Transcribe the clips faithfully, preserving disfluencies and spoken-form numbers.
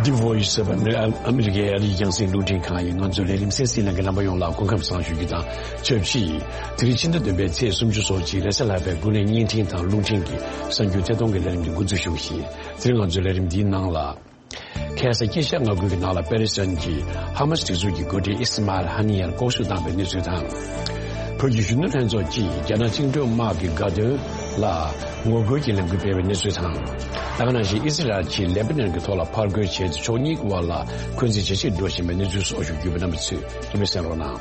The Voice of America ཨ་མི་རི་ཀའི་ཨ་རིའི་རྒྱང་སྲིང་རླུང་འཕྲིན་ཁང་ཡིན། ང་ཚོའི་ལས་རིམ་གསན་གཟིགས་གནང་མཁན་རྣམ་པ་ཡོངས་ལ་སྐུ་ཁམས་བཟང་ཞུ་རྒྱུ་དང་ཆབས་ཅིག་དེ་རིང་ཕྱི་ཟླ་བདུན་པའི་ཚེས་སུམ་ཅུ་སོ་གཅིག་རེས་གཟའ་ལྷག་པའི་དགུན་ལོའི་བརྙན་འཕྲིན་དང་རླུང་འཕྲིན་གྱི་གསར་འགྱུར་ཐད་གཏོང་གི་ལས་རིམ་འདི་འགོ་འཛུགས་ཞུ་བ་ཡིན། དེ་རིང་ང་ཚོའི་ལས་རིམ་འདིའི་ནང་ལ། ཁ་སང་དཀྱིལ་ཤར་མངའ་ཁུལ་གྱི་ནང་ལ་པེ་ལེ་སི་ཐན་གྱི་ཧ་མ་སི་སྒྲིག་འཛུགས་ཀྱི་འགོ་ཁྲིད་ཨི་སི་མཱ་ཨེལ་ཧ་ནི་ཡན་ལྐོག་གསོད་བཏང་བའི་གནས་ཚུལ་དང་། བོད་ཀྱི་གཞོན་ནུ་ལྷན་ཚོགས་ཀྱིས་རྒྱ་ནག་བཅིངས་འགྲོལ་དམག་གི་དགའ་སྟོན་ལ་ངོ་རྒོལ་གྱི་ལས་འགུལ་སྤེལ་བའི་གནས་ཚུལ་དང་། ད་ག་ནང་བཞིན་ཨི་སི་རལ་གྱིས་ལེ་པ་ནན་གྱི་ཐོག་ལ་ཕར་རྒོལ་བྱས་ཏེ་ཕྱོགས་གཉིས་ཀྱི་དབར་ལ་འཁོན་འཛིན་ཇེ་ཆེར་འགྲོ་བཞིན་པའི་གནས་ཚུལ་སོགས་ཞུ་རྒྱུ་ཡོད་པ། རྣམ་པ་ཚོས་རིན་པས་གསན་རོགས་གནང་།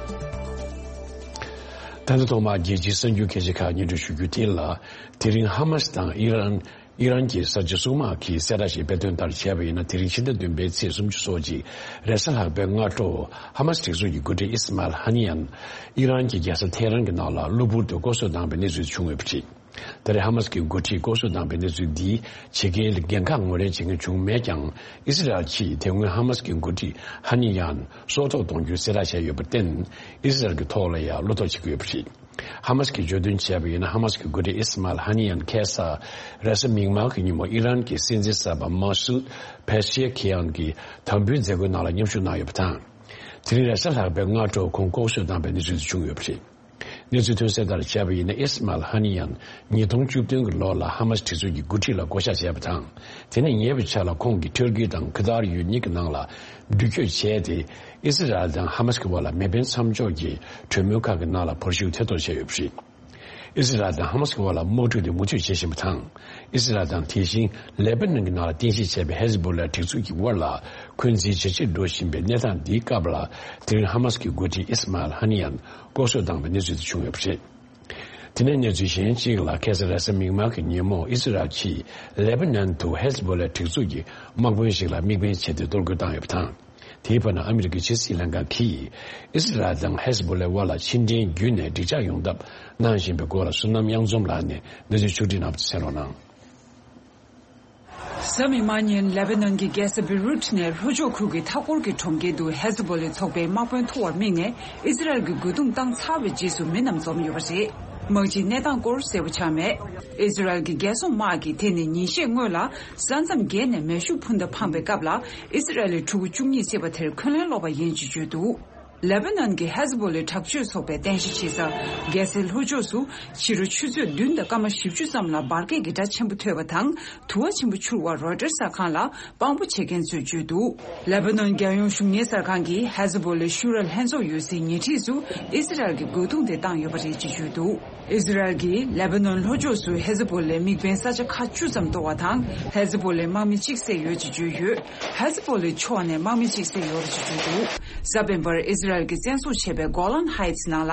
ད་ལྟ་ཐོག་མར་རྒྱལ་སྤྱིའི་གསར་འགྱུར་ཁྱད་ཆེ་ཁག་སྙན་སྒྲོན་ཞུ་རྒྱུ་དེ་ལ། དེ་རིང་ཧ་མ་སི་དང་ཨི་རན། ཨི་རན་གྱི་གསར་བརྗེ་སྲུང་དམག་གིས་གསལ་བསྒྲགས་ཤིག་སྤེལ་དོན་ལྟར་བྱས་པ་ཡིན་ན། དེ་རིང་ཕྱི་ཟླ་བདུན་པའི་ཚེས་སུམ་ཅུ་སོ་གཅིག་རེས་གཟའ་ལྷག་པའི་སྔ་དྲོ། ཧ་མ་སི་སྒྲིག་འཛུགས་ཀྱི་འགོ་ཁྲིད་ཨི་སི་མཱལ་ཧ་ནི་ཡན། ཨི་རན་གྱི་རྒྱལ་ས་ཐེ་རན་གྱི་ནང་ལ་གློ་བུར་དུ་ལྐོག་གསོད་བཏང་བའི་གནས་ཚུལ་བྱུང་ཡོད་པ་རེད། ད་རེས་ཧ་མ་སི་གི་འགོ་ཁྲིད་ལྐོག་གསོད་བཏང་བའི་གནས་ཚུལ་འདིའི་ཇི་སྐད་འགན་ཁག་ངོས་ལེན་བྱེད་མཁན་བྱུང་མེད་ཀྱང་། ཨི་སི་རལ་གྱིས་དེ་སྔོན་ཧ་མ་སི་གི་འགོ་ཁྲིད་ཧ་ནི་ཡན་སྲོག་ཐོག་གཏོང་རྒྱུའི་གསལ་བསྒྲགས་བྱས་ཡོད་པར་བརྟེན། ཨི་སི་རལ་གྱི་ཐོག་ལ་ཡང་བློ་དོགས་བྱེད་ཀྱི་ཡོད་པ་རེད། ཧ་མ་སི་གིས་བརྗོད་དོན་བྱས་པ་ཡིན་ན། ཧ་མ་སི་གི་འགོ་ཁྲིད་ཨི་སི་མཱལ་ཧ་ནི་ཡན་ཁ་སང་རེས་གཟའ་མིག་དམར་གྱི་ཉིན་མོ་ཨི་རན་གྱི་སྲིད་འཛིན་གསར་པ་མ་སུད་ཕེ་ཤེ་ཁི་ཡན་གྱི་དམ་འབུལ་མཛད་སྒོའི་ནང་ལ་མཉམ་ཞུགས་གནང་ཡོད་པ་དང་། དེ་རིང་རེས་གཟའ་ལྷག་པའི་སྔ་དྲོ་ཁོང་ལྐོག་གསོད་བཏང་བའི་གནས་ཚུལ་དེ་བྱུང་ཡོད་པ་རེད། གནས་ཚུལ་ཐོན་གསལ་ལྟར་བྱས་པ་ཡིན་ན། ཨི་སི་མཱལ་ཧ་ནི་ཡན་ཉིས་སྟོང་བཅུ་བདུན་གྱི་ལོ་ལ་ཧ་མ་སི་སྒྲིག་འཛུགས་ཀྱི་འགོ་ཁྲིད་ལ་བསྐོ་གཞག་བྱས་པ་དང་། དེ་ནས་ཉེ་བའི་ཆར་ལ་ཁོང་གིས་ཊར་ཀི་དང་ཁི་ཏར་ཡུལ་གཉིས་ཀྱི་ནང་ལ་འགྲུལ་སྐྱོད་བྱས་ཏེ། ཨི་སི་རལ་དང་ཧ་མ་སི་གི་བར་ལ་མེ་འཕེན་མཚམས་འཇོག་གི་གྲོས་མོལ་ཁག་གི་ནང་ལ་བར་ཞུགས་ཐེ་གཏོགས་བྱས་ཡོད་པ་རེད། ཨི་སི་རལ་དང་ཧ་མ་སི་གི་བར་ལ་དམག་འཁྲུག་དེ་མུ་མཐུད་བྱེད་བཞིན་པ་དང་། ཨི་སི་རལ་དང་དེ་བཞིན་ལེ་པ་ནན་གྱི་ནང་ལ་རྟེན་གཞི་བྱས་པའི་ཧེ་ཟི་བྷོ་ལ་སྒྲིག་འཛུགས་ཀྱི་དབར་ལ་འཁོན་འཛིན་ཇེ་ཆེར་འགྲོ་བཞིན་པའི་གནས་སྟངས་འདིའི་སྐབས་ལ། དེ་རིང་ཧ་མ་སི་གི་འགོ་ཁྲིད་ཨི་སི་མཱལ་ཧ་ནི་ཡན་ལྐོག་གསོད་བཏང་བའི་གནས་ཚུལ་དེ་བྱུང་ཡོད་པ་རེད། དེ་ནས་གནས་ཚུལ་གཞན་གཅིག་ལ། ཁ་སང་རེས་གཟའ་མིག་དམར་གྱི་ཉིན་མོ་ཨི་སི་རལ་གྱིས་ལེ་པ་ནན་དུ་ཧེ་ཟི་བྷོ་ལའི་སྒྲིག་འཛུགས་ཀྱི་དམག་དཔོན་ཞིག་ལ་དམིགས་འབེན་བྱས་ཏེ་གཏོར་རྒོལ་བཏང་ཡོད་པ་དང་། དེའི་བར་ན་ཨ་མི་རི་ཀའི་ཕྱི་སྲིད་ལྷན་ཁང་གིས་ཨི་སི་རལ་དང་ཧེ་ཟི་བྷོ་ལའི་དབར་ལ་ཕྱི་འབྲེལ་བརྒྱུད་ནས་འགྲིག་འཇགས་ཡོང་ཐབས་གནང་བཞིན་པའི་སྐོར་ལ། བསོད་ནམས་གཡང་འཛོམས་ལགས་ནས་གནས་ཚུལ་ཕྱོགས་སྒྲིག་གནང་བ་དེ་གསན་རོགས་གནང་། གཟའ་མིག་དམར་ཉིན་ལེ་བྷ་ནན་གྱི་རྒྱལ་ས་བེ་རུད་ནས་ལྷོ་ཕྱོགས་ཁུལ་གྱི་མཐའ་འཁོར་གྱི་གྲོང་ཁྱེར་དུ་ཧེ་ཟི་བྷོ་ལའི་ཚོགས་པའི་དམག་དཔོན་ཐུག་པར་དམིགས་ནས་ཨི་ཛི་རལ་གྱི་རྒོལ་རྡུང་བཏང་ཚར་བའི་རྗེས་སུ་མི་རྣམས་འཛོམས་ཡོད་པ་རེད། དམག་སྤྱིས་གནས་སྟངས་སྐོར་གསལ་པོ་ཆགས་མེད། ཨི་ཛི་རལ་གྱི་རྒྱལ་སྲུང་དམག་གིས་དེ་ནི་ཉིན་ཤས་སྔོན་ལ་ས་མཚམས་བརྒལ་ནས་མེ་ཤུགས་འཕུར་མདའ་འཕངས་པའི་སྐབས་ལ། ཨི་ཛི་རལ་ལི་ཕྲུ་གུ་བཅུ་གཉིས་བསད་པ་དེར་འཁོན་ལན་སློག་པ་ཡིན་ཅེས་བརྗོད་འདུག་ལེ་བྷ་ནན་གྱི་ཧེ་ཟི་བྷོ་ལའི་དྲག་སྤྱོད་ཚོགས་པའི་རྟེན་གཞི་བྱེད་ས་རྒྱལ་སའི་ལྷོ་ཕྱོགས་སུ་ཕྱི་དྲོ་ཆུ་ཚོད་བདུན་དང་སྐར་མ་བཞི་བཅུ་ཙམ་ལ་འབར་གས་ཀྱི་སྒྲ་ཆེན་པོ་ཐོས་པ་དང་། དུ་བ་ཆེན་པོ་འཕྱུར་བར་རོའི་ཊར་གསར་ཁང་ལ་དཔང་པོ་བྱེད་མཁན་ཚོས་བརྗོད་འདུག་ལེ་བྷ་ནན་རྒྱལ་ཡོངས་གཞུང་གཉེར་གསར་ཁང་གིས་ཧེ་ཟི་བྷོ་ལའི་ཤུ་ར་ལྷན་ཚོགས་ཡོད་སའི་ཉེ་འཁྲིས་སུ་ཨི་ཛི་རལ་གྱི་རྒོལ་རྡུང་དེ་བཏང་ཡོད་པ་རེད་ཅེས་བརྗོད་འདུག་ཨི་ཛི་རལ་གྱིས་ལེ་བྷ་ནན་ལྷོ་ཕྱོགས་སུ་ཧེ་ཟི་བྷོ་ལའི་དམིགས་འབེན་ས་ཆ་ཁག་བཅུ་ཙམ་གཏོར་བ་དང་། ཧེ་ཟི་བྷོ་ལའི་དམག་མི་གཅིག་བསད་ཡོད་ཅེས་བརྗོད་ཡོད། ཧེ་ཟི་བྷོ་ལའི་ཕྱོགས་ནས་དམག་མི་གཅིག་བསད་ཡོད་ཅེས་བརྗོད་འདུག་གཟའ་སྤེན་པར་ཨི་ཛི་རལ་གྱིས་བཙན་བཟུང་བྱས་པའི་གོ་ལན་ཧའེ་ཊི་ནང་ལ་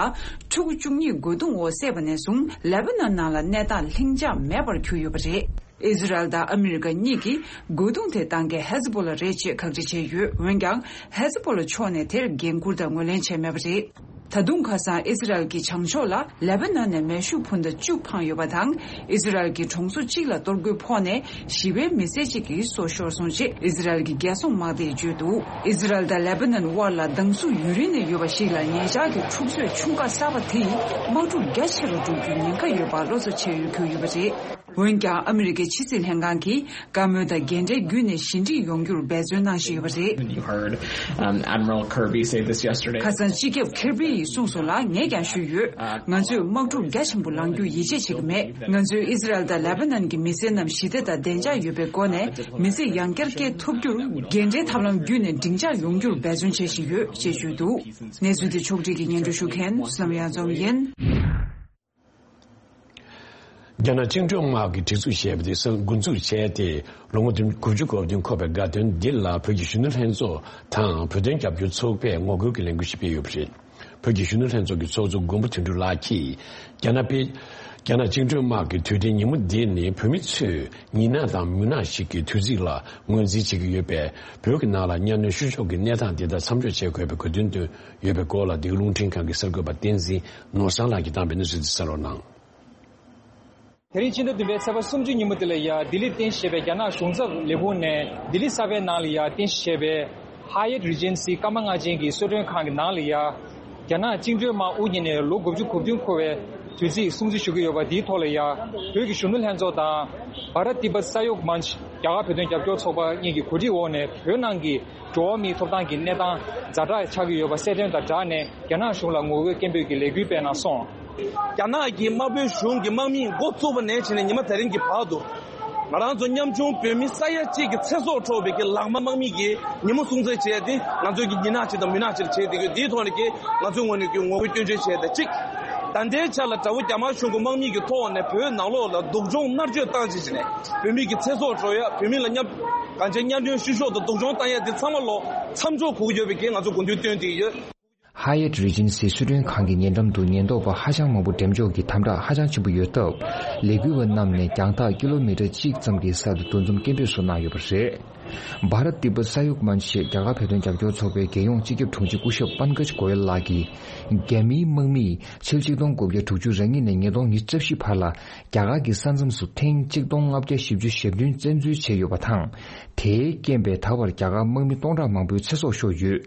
ཕྲུ་གུ་བཅུ་གཉིས་རྒོལ་རྡུང་འོག་བསད་པ་ནས་བཟུང་ལེ་བྷ་ནན་ནང་ལ་གནས་སྟངས་ལྷིང་འཇགས་མེད་པར་གྱུར་ཡོད་པ་རེད། ཨི་ཛི་རལ་དང་ཨ་མི་རི་ཀ་གཉིས་ཀྱིས་རྒོལ་རྡུང་དེ་བཏང་མཁན་ཧེ་ཟི་བྷོ་ལ་རེད་ཅེས་ཁག་དཀྲི་བྱས་ཡོད། འོན་ཀྱང་ཧེ་ཟི་བྷོ་ལ་ཕྱོགས་ནས་དེར་འགན་འཁུར་དང་ངོས་ལེན་བྱས་མེད་པ་རེད། ད་དུང་ཁ་སང་ཨི་ཛི་རལ་གྱི་བྱང་ཕྱོགས་ལ་ལེ་བྷ་ནན་ནས་མེ་ཤུགས་འཕུར་མདའ་བཅུ་འཕངས་ཡོད་པ་དང་། ཨི་ཛི་རལ་གྱི་གྲོང་ཚོ་གཅིག་ལ་གཏོར་རྒོལ་ཕོག་ནས་ཞི་བའི་མི་སེར་གཅིག་གི་སྲོག་ཤོར་སོང་ཅེས་ཨི་ཛི་རལ་གྱི་རྒྱལ་སྲུང་དམག་སྡེས་བརྗོད་འདུག་ཨི་ཛི་རལ་དང་ལེ་བྷ་ནན་དབར་ལ་སྡང་ཟུག་ཡུན་རིང་ནས་ཡོད་པ་ཞིག་ལ་ཉེ་ཆར་གྱི་འཁྲུག་རྩོད་ཆུང་ཁག་གསར་པ་དེ་ཡིས་དམག་འཁྲུག་རྒྱ་ཆེ་རུ་འགྲོ་རྒྱུའི་ཉེན་ཁ་ཡོད་པ་བློ་འཚབ་བྱེད་ཡུལ་གྱུར་ཡོད་པ་རེད། འོན་ཀྱང་ཨ་མི་རི་ཀའི་ཕྱི་སྲིད་ལྷན་ཁང་གིས་བཀའ་མོལ་དང་འགན་འཁྲི་བརྒྱུད་ནས་ཞི་འགྲིག་ཡོང་རྒྱུར་འབད་བརྩོན་གནང་བཞིན་ཡོད་པ་རེད། And you heard, um, Admiral Kirby say this yesterday. ཁ་སང་སྤྱི་ཁྱབ་ཁེར་བྷི་ཡིས་གསུངས་སོང་ལ་ངས་ཀྱང་ཞུས་ཡོད། ང་ཚོས་དམག་འཁྲུག་རྒྱ་ཆེན་པོ་ལངས་རྒྱུར་ཡིད་ཆེས་བྱེད་ཀྱི་མེད། ང་ཚོས་ཨི་ཛི་རལ་དང་ལེ་བྷ་ནན་གྱི་མི་སེར་རྣམས་ཞི་བདེ་དང་བདེ་འཇགས་ཡོད་པའི་སྒོ་ནས་མི་ཚེ་ཡང་བསྐྱར་སྐྱེལ་ཐུབ་རྒྱུར་འགན་འཁྲིའི་ཐབས་ལམ་བརྒྱུད་ནས་འགྲིག་འཇགས་ཡོང་རྒྱུར་འབད་བརྩོན་བྱེད་བཞིན་ཡོད་ཅེས་བརྗོད་འདུག་གནས་ཚུལ་དེ་ཕྱོགས་བསྒྲིགས་ཀྱིས་སྙན་སྒྲོན་ཞུ་མཁན་བསོད་ནམས་གཡང་འཛོམས་ཡིན། རྒྱ་ནག་བཅིངས་འགྲོལ་དམག་གི་སྒྲིག་འཛུགས་ཞེས་པ་དེ་གསར་འགོ་འཛུགས་བྱས་ཏེ་ལོ་ངོ་དགུ་བཅུ་གོ་བདུན་འཁོར་བའི་དགའ་སྟོན་འདི་ལ་བོད་ཀྱི་གཞོན་ནུ་ལྷན་ཚོགས་དང་བོད་དོན་རྒྱབ་སྐྱོར་ཚོགས་པས་ངོ་རྒོལ་གྱི་ལས་འགུལ་ཞིག་སྤེལ་ཡོད་པ་རེད། བོད་ཀྱི་གཞོན་ནུ་ལྷན་ཚོགས་ཀྱི་ཚོགས་གཙོ་མགོན་པོ་དོན་གྲུབ་ལགས་ཀྱིས་རྒྱ་ནག་པའི་རྒྱ་ནག་བཅིངས་འགྲོལ་དམག་གི་དུས་དྲན་ཉིན་མོ་འདི་ནི་བོད་མི་ཚོས་ཉིན་ནག་དང་མུན་ནག་ཞིག་གི་དུས་ཚིགས་ལ་ངོས་འཛིན་བྱེད་ཀྱི་ཡོད་པས། བོད་ཀྱི་ནང་ལ་གཉའ་གནོན་བཤུ་གཞོག་གི་གནས་སྟངས་འདི་དག་མཚམས་འཇོག་བྱེད་དགོས་པའི་དགོས་འདུན་བཏོན་ཡོད་པའི་སྐོར་ལ། འདི་ག་རླུང་འཕྲིན་ཁང་གི་གསར་འགོད་པ་བསྟན་འཛིན་ནོར་བཟང་ལགས་ཀྱིས་བཏང་བའི་གནས་ཚུལ་འདི་གསན་རོགས་གནང་། དེ་རིང་ཕྱི་ཟླ་བདུན་པའི་ཚེས་པ་སུམ་ཅུ་ཉིན་མོ་དེ་ལ་ཡ་ལྡི་ལིར་རྟེན་གཞི་བྱས་པའི་རྒྱ་ནག་གཞུང་ཚབ་ལས་ཁུངས་ནས་ལྡི་ལི་གསར་པའི་ནང་ལ་ཡ་རྟེན་གཞི་བྱས་པའི་Hyatt Regency ཀརྨ་ལྔ་ཆེན་གྱི་གསོལ་མགྲོན་ཁང་གི་ནང་ལ་ཡ་རྒྱ་ནག་བཅིངས་འགྲོལ་དམག་དབུ་བརྙེས་ནས་ལོ་དགུ་བཅུ་གོ་བདུན་འཁོར་བའི་དུས་ཚིགས་སྲུང་བརྩི་ཞུ་གི་ཡོད་པ་འདིའི་ཐོག་ལ་ཡ་བོད་ཀྱི་གཞོན་ནུ་ལྷན་ཚོགས་དང་Bharat Tibet Sahayog Manch རྒྱ་གར་བོད་དོན་རྒྱབ་སྐྱོར་ཚོགས་པ་གཉིས་ཀྱི་གོ་སྒྲིག་འོག་ནས་བོད་ནང་གི་འགྲོ་བ་མིའི་ཐོབ་ཐང་གི་གནས་སྟངས་ཛ་དྲག་ཆགས་ཀྱི་ཡོད་པ་གསལ་སྟོན་དང་སྦྲགས་ནས། རྒྱ་ནག་གཞུང་ལ་ངོ་རྒོལ་སྐད་འབོད་ཀྱི་ལས་འགུལ་སྤེལ་གནང་སོང་། རྒྱ་ནག་གི་དམར་པོའི་གཞུང་གི་དམག་མིས་འགོ་བཙུགས་པ་ནས་བྱས་ནས་ཉི་མ་དེ་རིང་གི་བར་དུ། ང་རང་ཚོ་ཉམ་ཆུང་བོད་མི་ས་ཡ་གཅིག་གི་ཚེ་སྲོག་འཕྲོག་པའི་གི་ལག་དམར་དམག་མི་གི་ཉིན་མོ་སྲུང་བརྩི་བྱས་ཏེ། ང་ཚོའི་གི་ཉིན་ནག་ཅིག་དང་མུན་ནག་ཅིག་བྱས་ཏེ། གི་འདིའི་ཐོག་ནས་གི་ང་ཚོའི་ངོས་ནས་གི་ངོ་རྒོལ་སྐྱོན་བརྗོད་བྱས་ཏེ་གཅིག་ད་ལྟའི་ཆ་ལ་དགྲ་བོ་རྒྱ་དམར་གཞུང་གི་དམག་མི་གི་ཐོག་ནས་བོད་ནང་ལོགས་ལ་སྡུག་སྦྱོང་མནར་གཅོད་བཏང་བྱས་བྱས་ནས། བོད་མི་གི་ཚེ་སྲོག་འཕྲོག་ཡ། བོད་མི་ལ་གཉའ་གང་ཆེ་གཉའ་གནོན་བཤུ་གཞོག་དང་སྡུག་སྦྱོང་བཏང་ཡ་དེ་ཚང་མ་ལོ་མཚམས་འཇོག་དགོས་ཀྱི་ཡོད་པའི་གི་ང་ཚོ་དགོངས་ཚུལ་བཏོན་ཏེ་ཡོད། ཧ་ཡེ་ཊི་རི་ཇེན་སི་སི་གསོལ་མགྲོན་ཁང་གི་ཉེ་འགྲམ་དུ་ཉེན་རྟོག་པ་ཧ་ཅང་མང་པོ་འགྲེམས་འཇོག་གིས་དམ་དྲག་ཧ་ཅང་ཆེན་པོ་ཡོད་སྟབས། ལས་འགུལ་བ་རྣམས་ནས་རྒྱང་ཐག་ཀི་ལོ་མི་ཊར་གཅིག་ཙམ་གྱི་ས་དུ་འདུ་འཛོམས་སྐད་འབོད་སོགས་གནང་ཡོད་པ་རེད། བྷ་རཏ་ཏི་པ་ས་ཡུག་མན་ཆེད་རྒྱ་གར་བོད་དོན་རྒྱབ་སྐྱོར་ཚོགས་པའི་རྒྱལ་ཡོངས་སྤྱི་ཁྱབ་དྲུང་ཆེ་སྐུ་ཞབས་པན་ཀཇ་གོ་ཡལ་ལགས་ཀྱིས། རྒྱ་མིའི་དམག་མིས་ཕྱི་ལོ་ཆིག་སྟོང་དགུ་བརྒྱ་དྲུག་ཅུ་རེ་གཉིས་ནས་ཉིས་སྟོང་ཉི་ཤུ་རྩ་བཞི་བར་ལ། རྒྱ་གར་གྱི་ས་མཚམས་སུ་ཐེངས་གཅིག་སྟོང་ལྔ་བརྒྱ་བཞི་བཅུ་ཞེ་བདུན་བཙན་འཛུལ་བྱས་ཡོད་པ་དང་། དེའི་རྐྱེན་པས་ད་བར་རྒྱ་གར་དམག་མི་སྟོང་ཕྲག་མང་པོའི་ཚེ་སྲོག་ཤོར་ཡོད།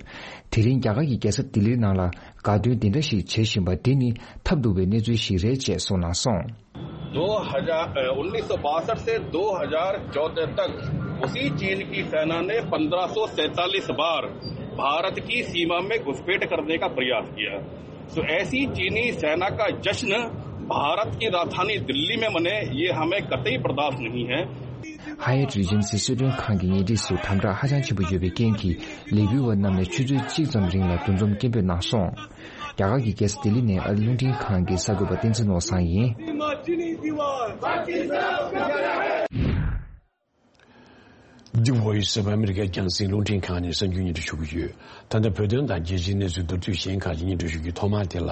དེ་རིང་རྒྱ་གར་གྱི་རྒྱལ་ས་ལྡི་ལིའི་ནང་ལ་དགའ་སྟོན་འདི་འདྲ་ཞིག་བྱེད་བཞིན་པ་འདི་ནི་ཐབས་སྡུག་པའི་གནས་ཚུལ་ཞིག་རེད་ཅེས་གསུངས་གནང་སོང་། दो हज़ार, अ, उन्नीस सौ बासठ से दो हज़ार चौदह तक उसी चीन की सेना ने पन्द्रह सौ सैंतालीस बार भारत की सीमा में घुसपैठ करने का प्रयास किया। तो ऐसी चीनी सेना का जश्न भारत की राजधानी दिल्ली में मने, ये हमें कतई बर्दाश्त नहीं है। ཧ་ཡེ་ཊི་རི་ཇེན་སི་སི་གསོལ་མགྲོན་ཁང་གི་ཉེ་འཁྲིས་སུ་དམ་དྲག་ཧ་ཅང་ཆེན་པོ་ཡོད་པའི་རྐྱེན་གྱིས། ལས་འགུལ་བ་རྣམས་ནས་ཆུ་ཚོད་གཅིག་ཙམ་རིང་ལ་འདུ་འཛོམས་སྐད་འབོད་གནང་སོང་། རྒྱ་གར་གྱི་རྒྱལ་ས་ལྡི་ལི་ནས་ཨ་རི་རླུང་འཕྲིན་ཁང་གི་གསར་འགོད་པ་བསྟན་འཛིན་ནོར་བཟང་ཡིན། འདི་Voice of America རྒྱང་སྲིང་རླུང་འཕྲིན་ཁང་ནས་གསར་འགྱུར་སྙན་སྒྲོན་ཞུ་གི་ཡོད། ད་ལྟ་བོད་དོན་དང་རྒྱལ་སྤྱིའི་གནས་ཚུལ་མདོར་བསྡུས་གཞན་ཁག་ཅིག་སྙན་སྒྲོན་ཞུ་རྒྱུའི་ཐོག་མ་དེ་ལ།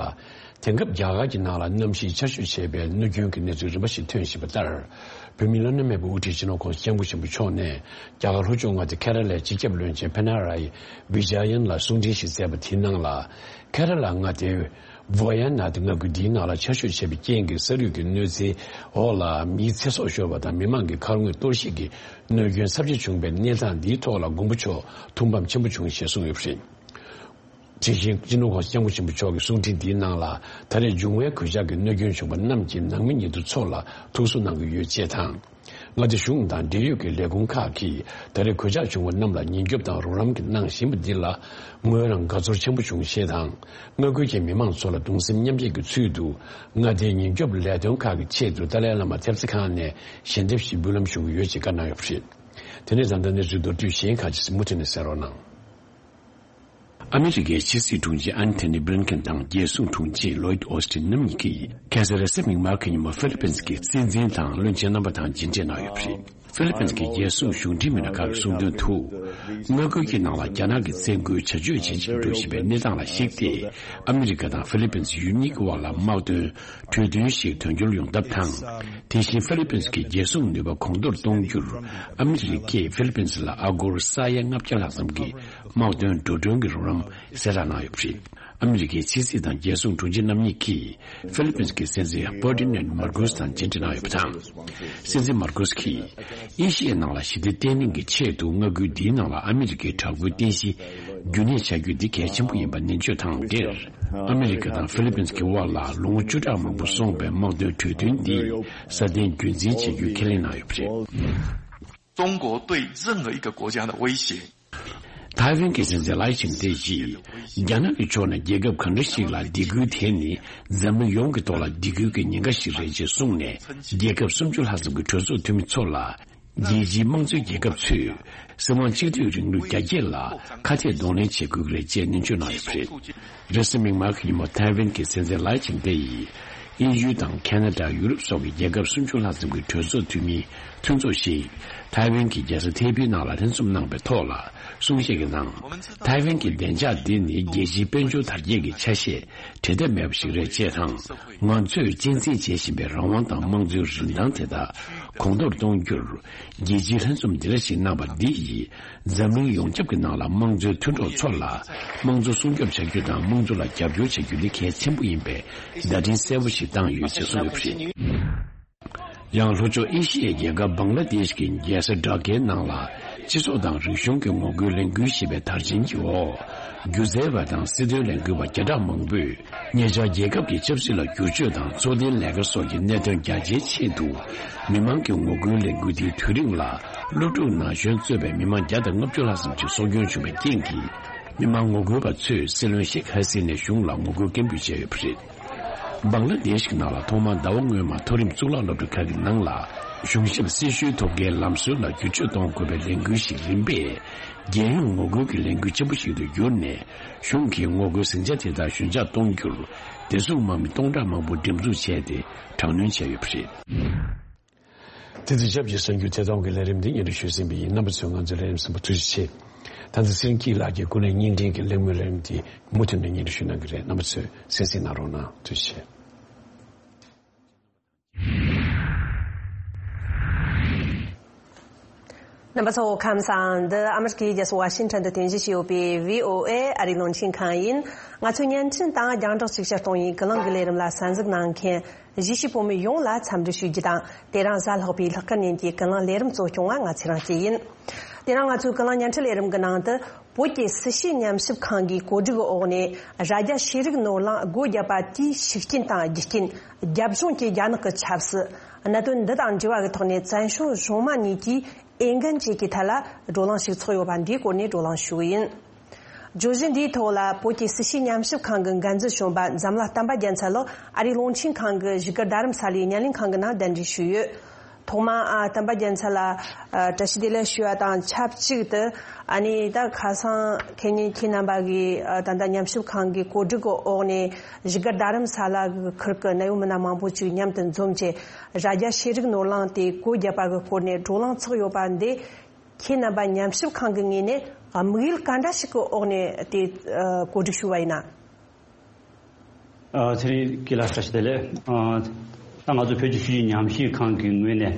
དེང་སྐབས་རྒྱ་གར་གྱི་ནང་ལ་གནམ་གཤིས་ཆར་ཞོད་ཆེ་བའི་གནོད་སྐྱོན་གྱི་གནས་ཚུལ་རིམ་པ་ཞིག་ཐོན་བཞིན་པ་ལྟར། བོད་མིའི་བླ་ན་མེད་པའི་དབུ་ཁྲིད་སྤྱི་ནོར་༧གོང་ས་༧སྐྱབས་མགོན་ཆེན་པོ་མཆོག་ནས། རྒྱ་གར་ལྷོ་ཕྱོགས་མངའ་སྡེ་ཁེ་ར་ལའི་སྤྱི་ཁྱབ་བློན་ཆེན་པི་ན་ར་ཡི་བི་ཇ་ཡན་ལ་གསུང་འཕྲིན་ཞིག་སྩལ་བ་དེའི་ནང་ལ། ཁེ་ར་ལ་མངའ་སྡེའི་ཝ་ཡ་ནཱད་མངའ་ཁུལ་འདིའི་ནང་ལ་ཆར་ཞོད་ཆེ་བའི་རྐྱེན་གྱིས་ས་རུད་ཀྱི་གནོད་འཚེའི་འོག་ལ་མིའི་ཚེ་སྲོག་ཤོར་བ་དང་། མི་མང་གི་ཁ་ངོས་གཏོར་བཤིག་གི་གནོད་སྐྱོན་ཚབས་ཆེ་བྱུང་བའི་གནས་སྟངས་འདིའི་ཐོག་ལ་མགོན་པོ་མཆོག་ཐུགས་ཕམ་ཆེན་པོ་བྱུང་ཞེས་གསུངས་ཡོད་པ་རེད། དེ་བཞིན་སྤྱི་ནོར་༧གོང་ས་༧སྐྱབས་མགོན་ཆེན་པོ་མཆོག་གི་གསུང་འཕྲིན་འདིའི་ནང་ལ། ད་རེས་འབྱུང་བའི་གོད་ཆག་གི་གནོད་སྐྱོན་བྱུང་བ་རྣམས་ཀྱི་ནང་མི་ཉེ་དུ་ཚོ་ལ་ཐུགས་གསོ་གནང་གི་ཡོད་ཅེས་དང་། མངའ་སྡེ་གཞུང་དང་འབྲེལ་ཡོད་ཀྱི་ལས་ཁུངས་ཁག་གིས་ད་རེས་གོད་ཆག་བྱུང་བ་རྣམས་ལ་ཉེན་སྐྱོབ་དང་རོགས་རམ་གནང་བཞིན་པ་འདི་ལ། ངོས་རང་དགའ་ཚོར་ཆེན་པོ་བྱུང་ཞེས་དང་། མངའ་ཁུལ་གྱི་མི་མང་ཚོ་ལ་གདུང་སེམས་མཉམ་སྐྱེད་ཀྱི་ཚུལ་དུ། མངའ་སྡེའི་ཉེན་སྐྱོབ་ལས་དོན་ཁག་གི་ཆེད་དུ་ཏཱ་ལའི་བླ་མ་ཐེབས་རྩ་ཁང་ནས་ཞལ་འདེབས་ཤིག་འབུལ་ལམ་ཞུ་གི་ཡོད་ཅེས་བཀའ་གནང་ཡོད་པ་རེད། དེ་ནས་ད་ལྟ་གནས་ཚུལ་མདོར་བསྡུས་གཞན་ཁག་ཅིག་མུ་མཐུད་ནས་གསན་རོགས་གནང་། ཨ་མི་རི་ཀའི་ཕྱི་སྲིད་དྲུང་ཆེ་ཨན་ཐོ་ནི་བྷི་ལིན་ཀེན་དང་རྒྱལ་སྲུང་དྲུང་ཆེ་ལོའིད་ཨོ་སི་ཊིན་རྣམ་གཉིས་ཀྱིས་ཁ་སང་རེས་གཟའ་མིག་དམར་གྱི་ཉིན་མོ་ཧྥི་ལི་པིན་གྱི་སྲིད་འཛིན་དང་བློན་ཆེན་རྣམ་པ་དང་མཇལ་འཕྲད་གནང་ཡོད་པ་རེད། ཧྥི་ལི་པིན་གྱི་རྒྱལ་སྲུང་གཞུང་འབྲེལ་མི་སྣ་ཁག་གིས་གསུངས་དོན་དུ། མངའ་ཁུལ་གྱི་ནང་ལ་རྒྱ་ནག་གི་བཙན་རྒོལ་བྱ་སྤྱོད་ཇེ་ཆེར་འགྲོ་བཞིན་པའི་གནས་སྟངས་ལ་གཞིགས་ཏེ། ཨ་མི་རི་ཀ་དང་ཧྥི་ལི་པིན་ཡུལ་གཉིས་ཀྱི་དབར་ལ་དམག་དོན་གྲོས་མཐུན་ཞིག་དོན་འཁྱོལ་ཡོང་ཐབས་དང་། དེ་བཞིན་ཧྥི་ལི་པིན་གྱི་རྒྱལ་སྲུང་ནུས་པ་གོང་མཐོར་གཏོང་རྒྱུར། ཨ་མི་རི་ཀས་ཧྥི་ལི་པིན་ལ་ཨ་སྒོར་ས་ཡ་ལྔ་བརྒྱ་ལྷག་ཙམ་གྱི་དམག་དོན་འགྲོ་གྲོན་གྱི་རོགས་རམ་གསལ་བསྒྲགས་གནང་ཡོད་པ་རེད། ཨ་མི་རི་ཀའི་ཕྱི་སྲིད་དང་རྒྱལ་སྲུང་དྲུང་ཆེ་རྣམ་གཉིས་ཀྱིས་ཧྥི་ལི་པིན་གྱི་སྲིད་འཛིན་ཧྥར་ཌི་ནན་མར་ཀོས་དང་མཇལ་འཕྲད་གནང་ཡོད་པ་དང་། སྲིད་འཛིན་མར་ཀོས་ཀྱིས་ཨེ་ཤི་ཡའི་ནང་ལ་ཞི་བདེ་བརྟན་ལྷིང་གི་ཆེད་དུ་མངའ་ཁུལ་འདིའི་ནང་ལ་ཨ་མི་རི་ཀའི་དྲག་པོའི་རྟེན་གཞི་རྒྱུན་གནས་བྱ་རྒྱུ་འདི་གལ་ཆེན་པོ་ཡིན་པ་ནན་བརྗོད་དང་འབྲེལ། ཨ་མི་རི་ཀ་དང་ཧྥི་ལི་པིན་གྱི་དབར་ལ་ལོ་ངོ་བཅུ་ཕྲག་མང་པོ་སོང་བའི་དམག་དོན་གྲོས་མཐུན་འདི་སྲ་བརྟན་རྒྱུན་འཛིན་བྱ་རྒྱུའི་ཁས་ལེན་གནང་ཡོད་པ་རེད། 中国对任何一个国家的威胁。 ཐའེ་ཝན་གྱི་སྲིད་འཛིན་ལའེ་ཆིང་ཏེ་ཡིས། རྒྱ་ནག་གི་ཕྱོགས་ནས་རྒྱལ་ཁབ་གང་འདྲ་ཞིག་ལ་སྡིགས་སྐུལ་དེ་ནི་འཛམ་གླིང་ཡོངས་ཀྱི་ཐོག་ལ་སྡིགས་སྐུལ་གྱི་ཉེན་ཁ་ཞིག་རེད་ཅེས་གསུངས་ནས། རྒྱལ་ཁབ་སུམ་ཅུ་ལྷག་ཙམ་གྱི་གྲོས་ཚོགས་འཐུས་མི་ཚོ་ལ། རྒྱལ་སྤྱིའི་དམངས་གཙོའི་རྒྱལ་ཁབ་ཚོས་སྲིད་དབང་གཅིག་སྡུད་རིང་ལུགས་རྒྱ་སྐྱེད་ལ་ཁ་གཏད་གདོང་ལེན་བྱེད་དགོས་ཀྱི་རེད་ཅེས་ནན་བརྗོད་གནང་ཡོད་པ་རེད། རེས་གཟའ་མིག་དམར་གྱི་ཉིན་མོ་ཐའེ་ཝན་གྱི་སྲིད་འཛིན་ལའེ་ཆིང་ཏེ་ཡིས་དབྱིན་ཡུལ་དང་ཁེ་ན་ཌ། ཡུ་རོབ་སོགས་ཀྱི་རྒྱལ་ཁབ་སུམ་ཅུ་ལྷག་ཙམ་གྱི་གྲོས་ཚོགས་འཐུས་མིའི་མཐུན་ཚོགས་ཤིག་ཐའེ་ཝན་གྱི་རྒྱལ་ས་ཐའེ་པེའི་ནང་ལ་ལྷན་འཛོམས་གནང་བའི་ཐོག་ལ་གསུང་བཤད་ཀྱི་ནང་། ཐའེ་ཝན་གྱི་བདེ་འཇགས་འདི་ནི་རྒྱལ་སྤྱིའི་དཔལ་འབྱོར་དར་རྒྱས་ཀྱི་ཆ་ཤས་འབྲལ་ཐབས་མེད་པ་ཞིག་རེད་ཅེས་དང་། ང་ཚོས་གཅེས་འཛིན་བྱེད་བཞིན་པའི་རང་དབང་དང་དམངས་གཙོའི་རིན་ཐང་དེ་དག་གོང་མཐོར་གཏོང་རྒྱུར། རྒྱལ་སྤྱིའི་ལྷན་འཛོམས་འདི་འདྲ་ཞིག་གནང་བ་འདི་ཡིས། འཛམ་གླིང་ཡོངས་ཁྱབ་ཀྱི་ནང་ལ་དམངས་གཙོའི་མཐུན་གྲོགས་ཚོ་ལ་དམངས་གཙོ་སྲུང་སྐྱོབ་བྱ་རྒྱུ་དང་། དམངས་གཙོ་ལ་རྒྱབ་སྐྱོར་བྱ་རྒྱུ་འདི་གལ་ཆེན་པོ་ཡིན་པའི་བརྡ་འཕྲིན་གསལ་པོ་ཞིག་བཏང་ཡོད་ཅེས་གསུངས་ཡོད་པ་རེད། ཡང་ལྷོ་ཕྱོགས་ཨེ་ཤི་ཡའི་རྒྱལ་ཁབ་བང་ལ་དེཤ་གི་རྒྱལ་ས་ཌ་ཀའི་ནང་ལ། སྤྱི་ཚོགས་དང་རིག་གཞུང་གི་ངོ་རྒོལ་ལས་འགུལ་ཞེས་པའི་དར་ཆེན་གྱི་འོག་སྒྱུ་རྩལ་བ་དང་སྲིད་དོན་ལས་འགུལ་བ་བརྒྱ་ཕྲག་མང་པོས། ཉེ་ཆར་རྒྱལ་ཁབ་ཀྱི་ཆབ་སྲིད་ལ་བསྒྱུར་བཅོས་དང་འཚོ་རྟེན་ལས་ཀ་སོགས་ཀྱི་གནད་དོན་རྒྱ་ཆེའི་ཆེད་དུ། མི་མང་གི་ངོ་རྒོལ་ལས་འགུལ་དེའི་དུས་རིང་ལ། སློབ་ཕྲུག་ན་གཞོན་གཙོས་པའི་མི་མང་བརྒྱ་དང་ལྔ་བཅུ་ལྷག་ཙམ་གྱིས་སྲོག་སྐྱོན་བྱུང་བའི་རྐྱེན་གྱིས། མི་མང་ངོ་རྒོལ་བ་ཚོས་སྲིད་བློན་ཤེག་ཧ་སི་ནའི་གཞུང་ལ་ངོ་རྒོལ་སྐད་འབོད་བྱས་ཡོད་པ་རེད། བང་ལ་དེཤ་གི་ནང་ལ་ཐོག་མར་ཟླ་བ་སྔོན་མ་མཐོ་རིམ་གཙུག་ལག་སློབ་གྲྭ་ཁག་གི་ནང་ལ། གཞུང་ཞབས་སྲི་ཞུའི་ཐོབ་དཀའི་ལམ་སྲོལ་ལ་བསྒྱུར་བཅོས་གཏོང་དགོས་པའི་ལས་འགུལ་ཞིག་རིམ་པས། རྒྱལ་ཡོངས་ངོ་རྒོལ་གྱི་ལས་འགུལ་ཆེན་པོ་ཞིག་ཏུ་གྱུར་ནས། གཞུང་གིས་ངོ་རྒོལ་ཟིང་ཆ་དེ་དག་ཞོད་འཇགས་གཏོང་རྒྱུར། བདེ་སྲུང་དམག་མི་སྟོང་ཕྲག་མང་པོ་འགྲེམས་འཛུགས་བྱས་ཏེ། དྲག་གནོན་བྱས་ཡོད་པ་རེད། དེ་དུས་ཞབས་ཀྱི་གསར་འགྱུར་ཐད་གཏོང་གི་ལས་རིམ་འདི་སྙན་སྒྲོན་ཞུས་ཟིན་པ་ཡིན། རྣམ་པ་ཚོས་ང་ཚོའི་ལས་རིམ་གསན་པར་ཐུགས་རྗེ་ཆེ། ད་ནི་ཚེ་རིང་སྐྱིད་ལགས་ཀྱིས་ཀུན་གླེང་བརྙན་འཕྲིན་གྱི་གླེང་མོལ་ལས་རིམ་འདི་མུ་མཐུད་ནས་སྙན་སྒྲོན་ཞུ་གནང་གི་རེད། རྣམ་པ་ཚོས་གསན་གཟིགས་གནང་རོགས་གནང་། ཐུགས་རྗེ་ཆེ། རྣམ་པ་ཚོ་ཁམས་བཟང་། འདི་ཨ་མི་རི་ཀའི་རྒྱལ་ས་ཝ་ཤིང་ཊོན་དུ་རྟེན་གཞི་བྱས་ཡོད་པའི་བྷི་ཨོ་ཨེ་ཨ་རིའི་རླུང་འཕྲིན་ཁང་ཡིན། ང་ཚོའི་བརྙན་འཕྲིན་དང་རྒྱང་བསྒྲགས་ཅིག་ཤར་གཏོང་བའི་ཀུན་གླེང་གི་ལས་རིམ་ལ་གསན་གཟིགས་གནང་མཁན། གཞིས་བྱེས་བོད་མི་ཡོངས་ལ་འཚམས་འདྲི་ཞུ་རྒྱུ་དང་། དེ་རིང་གཟའ་ལྷག་པའི་ལྷག་དཀར་ཉིན་གྱི་ཀུན་གླེང་ལས་རིམ་གཙོ་སྐྱོང་བ་ང་ཚེ་རིང་སྐྱིད་ཡིན། དེ་རིང་ང་ཚོའི་ཀུན་གླེང་བརྙན་འཕྲིན་ལས་རིམ་གྱི་ནང་དུ། བོད་ཀྱི་སྲིད་བྱུས་ཉམས་ཞིབ་ཁང་གིས་གོ་སྒྲིག་འོག་ནས། རྭ་རྒྱ་ཤེས་རིག་ནོར་གླིང་སྒོ་བརྒྱབ་པ་དེའི་ཤུགས་རྐྱེན་དང་རྒྱུ་རྐྱེན། རྒྱབ་ལྗོངས་ཀྱི་རྒྱ་ནག་གི་ཆབ་སྲིད། གནད་དོན་འདི་དང་འབྲེལ་བ་གི་ཐོག་ནས། བཙན་བྱོལ་གཞུང་མང་གཉིས་ཀྱིས་འོས་འགན་བཅས་ཀྱི་ཐད་ལ་བགྲོ་གླེང་ཞིག་ཚོགས་ཡོད་པ་འདིའི་སྐོར་ནས་བགྲོ་གླེང་ཞུ་གི་ཡིན། བརྗོད་གཞི་འདིའི་ཐོག་ལ་བོད་ཀྱི་སྲིད་བྱུས་ཉམས་ཞིབ་ཁང་གི་འགན་འཛིན་གཞོན་པ་འཛམ་ལྷ་བསྟན་པ་རྒྱལ་མཚན་ལགས་ཨ་རིའི་རླུང་འཕྲིན་ཁང་གི་བཞུགས་སྒར་རྡ་རམ་ས་ལའི་བརྙན་ལེན་ཁང་གི་ནང་གདན་འདྲེན་ཞུས་ཡོད། ཐོག་མར་ཨ་བསྟན་པ་རྒྱལ་མཚན་ལགས་ཨ་བཀྲ་ཤིས་བདེ་ལེགས་ཞུ་བ་དང་ཆབས་ཅིག་ཏུ། ཨ་ནི་ད་ཁ་སང་ཁེ་ཉིན་ཁྱེད་རྣམ་པ་གིས་ཨ་ད་ལྟ་ཉམས་ཞིབ་ཁང་གི་གོ་སྒྲིག་གི་འོག་ནས་བཞུགས་སྒར་རྡ་རམ་ས་ལ་གི་ཁུལ་གྱི་གནད་ཡོད་མི་སྣ་མང་པོ་ཅིག་མཉམ་དུ་འཛོམས་བྱས། རྭ་རྒྱ་ཤེས་རིག་ནོར་གླིང་དེ་སྒོ་བརྒྱབ་པ་གི་སྐོར་ནས་བགྲོ་གླེང་ཚོགས་ཡོད་པ་འདི། ཁྱེད་རྣམ་པ་ཉམས་ཞིབ་ཁང་གི་ངོས་ནས་དམིགས་ཡུལ་ག་འདྲ་ཞིག་གི་འོག་ནས་དེ་ཨ་གོ་སྒྲིག་ཞུས་པ་ཡིན་ན། ཨ་ཚེ་རིང་སྐྱིད་ལགས་བཀྲ་ཤིས་བདེ་ལེགས། ཨ་ད་ང་ཚོ་བོད་ཀྱི་ཆོས་བརྒྱུད་ཉམས་ཞིབ་ཁང་གི་ངོས་ནས།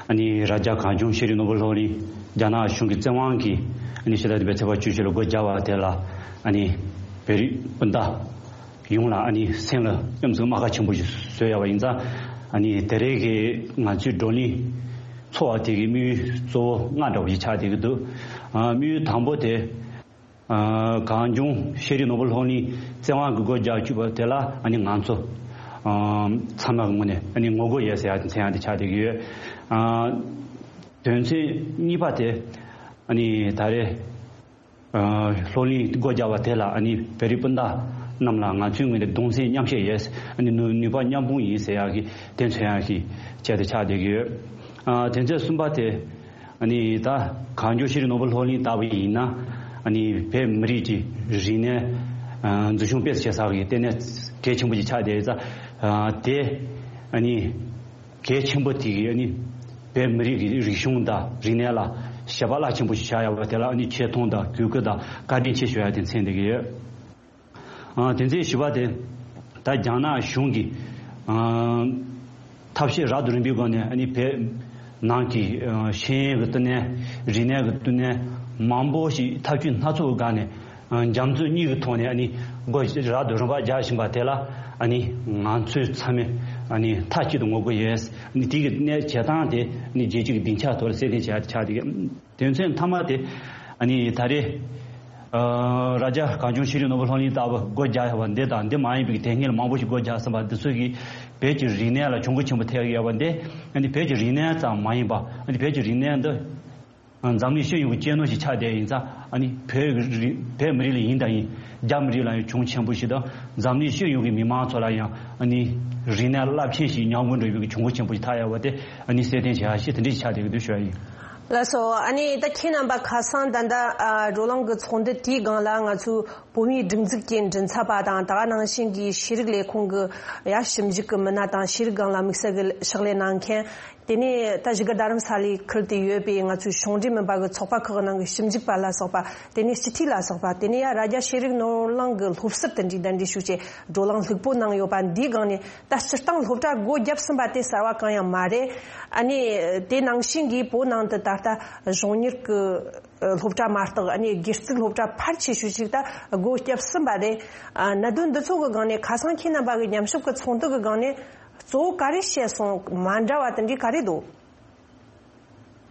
ཨ་ནི་རྭ་རྒྱ་གངས་ལྗོངས་ཤེས་རིག་ནོར་བུ་སློབ་གླིང་རྒྱ་ནག་གཞུང་གི་བཙན་དབང་གིས་ཨ་ནི་ཕྱི་ཟླ་འདི་པའི་ཚེས་པ་བཅུ་བཞི་ལ་སྒོ་བརྒྱབ་པ་དེ་ལ། ཨ་ནི་བོད་རིགས་སྤུན་ཟླ་ཡོངས་ལ་ཨ་ནི་སེམས་ལ་སྐྱོ་ཙམ་རྨ་ཁ་ཆེན་པོ་ཞིག་བཟོས་ཡོད་པ་ཡིན་ཙང་། ཨ་ནི་དེ་རིང་གི་ང་ཚོའི་བགྲོ་གླེང་ཚོགས་པ་དེ་གི་དམིགས་ཡུལ་གཙོ་བོ་ལྔ་འདྲ་བོ་ཞིག་ཆགས་བསྡད་ཀྱི་འདུག་ཨ་དམིགས་ཡུལ་དང་པོ་དེ། ཨ་གངས་ལྗོངས་ཤེས་རིག་ནོར་བུ་སློབ་གླིང་བཙན་དབང་གིས་སྒོ་རྒྱག་བཅུག་པ་དེ་ལ་ཨ་ནི་ང་ཚོ་ཨ་ཚང་མ་གི་ངོས་ནས་ཨ་ནི་ངོ་རྒོལ་ཡོད་ཟེར་ཡག་དེ་མཚོན་ཡག་དེ་ཆགས་བསྡད་ཀྱི་ཡོད། ཨ་དོན་ཚན་གཉིས་པ་དེ་ཨ་ནི་ད་རེས་ཨ་སློབ་གླིང་སྒོ་རྒྱག་པ་དེ་ལ་ཨ་ནི་བོད་རིགས་སྤུན་ཟླ་རྣམས་ལ་ང་ཚོའི་ངོས་ནས་གདུང་སེམས་མཉམ་བསྐྱེད་ཡོད། ཨ་ནི་ནུས་ནུས་པ་མཉམ་སྤུངས་ཡིན་ཟེར་ཡག་གི་དེ་མཚོན་ཡག་གི་ཆེད་དུ་ཆགས་བསྡད་ཀྱི་ཡོད། ཨ་དོན་ཚན་གསུམ་པ་དེ། ཨ་ནི་ད་གངས་ལྗོངས་ཤེས་རིག་ནོར་བུ་སློབ་གླིང་ལྟ་བུ་ཡིན་ན། ཨ་ནི་བོད་མི་རིགས་ཀྱི་རིག་གནས་ཨ་འཛིན་སྐྱོང་སྤེལ་གསུམ་བྱེད་ས་གི་ལྟེ་གནས་གལ་ཆེན་པོ་ཞིག་ཆགས་བསྡད་ཡོད་ཙང་། ཨ་དེ་ཨ་ནི་གལ་ཆེན་པོ་དེ་གི་ཨ་ནི་བོད་མི་རིགས་ཀྱི་རིག་གཞུང་དང་རིག་གནས་ལ་དཔྱད་པ་རླབས་ཆེན་པོ་ཞིག་བྱ་ཡག་པ་དེ་ལ་ཨ་ནི་ཆེ་མཐོང་དང་གུས་བཀུར་དང་བཀའ་དྲིན་ཆེ་ཞུ་ཡག་དེ་མཚོན་བསྡད་ཀྱི་ཡོད། ཨ་དེ་ཚེ་བཞི་པ་དེ། ད་རྒྱ་ནག་གཞུང་གིས་ཨ་ཐབས་ཤེས་རབ་ཏུ་རིམ་པའི་སྒོ་ནས་ཨ་ནི་བོད་ནང་གི་ཨ་ཤེས་ཡོན་གྱི་བསྟི་གནས། རིག་གནས་ཀྱི་བསྟི་གནས་མང་པོ་ཞིག་ཐབས་ཇུས་སྣ་ཚོགས་སྒང་ནས་ཨ་འཇམ་རྩུབ་གཉིས་ཀྱི་ཐོག་ནས་ཨ་ནི་སྒོ་རབ་ཏུ་རིམ་པ་རྒྱག་བཞིན་པ་དེ་ལ་ཨ་ནི་ང་ཚོས་ཚང་མས་ཨ་ནི་མཐའ་གཅིག་ཏུ་ངོ་རྒོལ་ཡོད། ཨ་ནི་དེ་གི་གནས་བྱེད་སྟངས་དེ་ཨ་ནི་རྒྱལ་སྤྱི་གི་སྡིངས་ཆ་ཐོག་ལ་གསལ་སྟོན་བྱས་ཆགས་བསྡད་ཀྱི། དོན་ཚན་མཐའ་མ་དེ། ཨ་ནི་ད་རེས་ཨ་རྭ་རྒྱ་གངས་ལྗོངས་ཤེས་རིག་ནོར་བུ་སློབ་གླིང་ལྟ་བུ་སྒོ་རྒྱག་ཡོད་པ་འདི་དང་འདི་མ་ཡིན་པའི་དེ་སྔོན་ལ་མང་པོ་ཞིག་སྒོ་རྒྱག་ཟིན་པ་འདི་ཚོ་གིས་བོད་ཀྱི་རིག་གནས་ལ་གྱོང་གུན་ཆེན་པོ་ཐེབས་ཡོད་པ་འདི། ཨ་ནི་བོད་ཀྱི་རིག་གནས་ཙམ་མ་ཡིན་པ། ཨ་ནི་བོད་ཀྱི་རིག་གནས་འདི་འཛམ་གླིང་སྤྱི་ཡོངས་ཀྱི་གཅེས་ནོར་ཞིག་ཆགས་བསྡད་ཡིན་ཙང་། ཨ་ནི་བོད་ཀྱི་རིག་བོད་མི་རིགས་ལ་ཡིན་དང་ཡིན། རྒྱ་མི་རིགས་ལ་ཡང་གྱོང་ཆེན་པོ་ཞིག་དང་། འཛམ་གླིང་སྤྱི་ཡོངས་ཀྱི་མི་མང་ཚོ་ལ་ཡང་ཨ་ནི་རིག་གནས་རླབས་ཆེན་ཞིག་ཉམས་རྒུད་འགྲོ་བའི་གྱོང་གུན་ཆེན་པོ་ཞིག་ཐེབས་ཡོད་པ་དེ་ཨ་ནི་གསལ་སྟོན་བྱེད་ཡག་ཞིག་དེ་འདྲ་ཞིག་ཆགས་བསྡད་ཀྱི་འདུག་ཞུ་ཡག་ཡིན། ལགས་སོ། ཨ་ནི་ད་ཁྱེད་རྣམ་པ་ཁ་སང་ད་ལྟ་ཨ་བགྲོ་གླེང་གི་ཚོགས་འདུ་དེའི་སྒང་ལ་ང་ཚོའི་བོད་མིའི་སྒྲིག་འཛུགས་ཀྱི་མགྲིན་ཚབ་པ་དང་། ད་ག་ནང་བཞིན་གྱི་ཤེས་རིག་ལས་ཁུངས་ཀྱི་ཡ་ཞིབ་འཇུག་གི་མི་སྣ་དང་། ཤེས་རིག་སྒང་ལ་དམིགས་བསལ་གྱི་ཕྱག་ལས་གནང་མཁན། དེ་ནས་ད་བཞུགས་སྒར་རྡ་རམ་ས་ལའི་ཁུལ་དུ་ཡོད་པའི་ང་ཚོའི་གཞུང་འབྲེལ་མིན་པ་གི་ཚོགས་པ་ཁག་ནང་གི་ཞིབ་འཇུག་པ་ལ་སོགས་པ། དེ་ནས་སྤྱི་འཐུས་ལ་སོགས་པ། དེ་ནས་ཡ་རྭ་རྒྱ་ཤེས་རིག་ནོར་གླིང་གི་སློབ་ཟུར་དེ་འདྲའི་གདན་འདྲེན་ཞུས་བྱས་བགྲོ་གླེང་ལྷུག་པོ་གནང་ཡོད་པ་འདིའི་སྒང་ནས། ད་སྤྱིར་བཏང་སློབ་གྲྭ་སྒོ་བརྒྱབ་ཟིན་པ་དེ་གསར་བ་གང་ཡང་མ་རེད། ཨ་ནི་དེ་ནང་བཞིན་གྱི་བོད་ནང་དུ་ད་ལྟ་གཞུང་གཉེར་གྱི་སློབ་གྲྭ་མ་གཏོགས། ཨ་ནི་སྒེར་བཙུགས་སློབ་གྲྭ་ཕལ་ཆེ་ཤོས་ཅིག་ད་སྒོ་བརྒྱབ་ཟིན་པ་རེད། ཨ་གནད་དོན་འདི་ཚོ་གི་སྒང་ནས་ཁ་སང་ཁྱེད་རྣམ་པ་གི་ཉམས་ཞིབ་ཀྱི་ཚོགས་འདུ་གི་སྒང་ནས། གཙོ་བོ་ག་རེ་བཤད་སོང་། མ་འདྲ་བ་དེ་འདྲའི་ག་རེ་འདུག་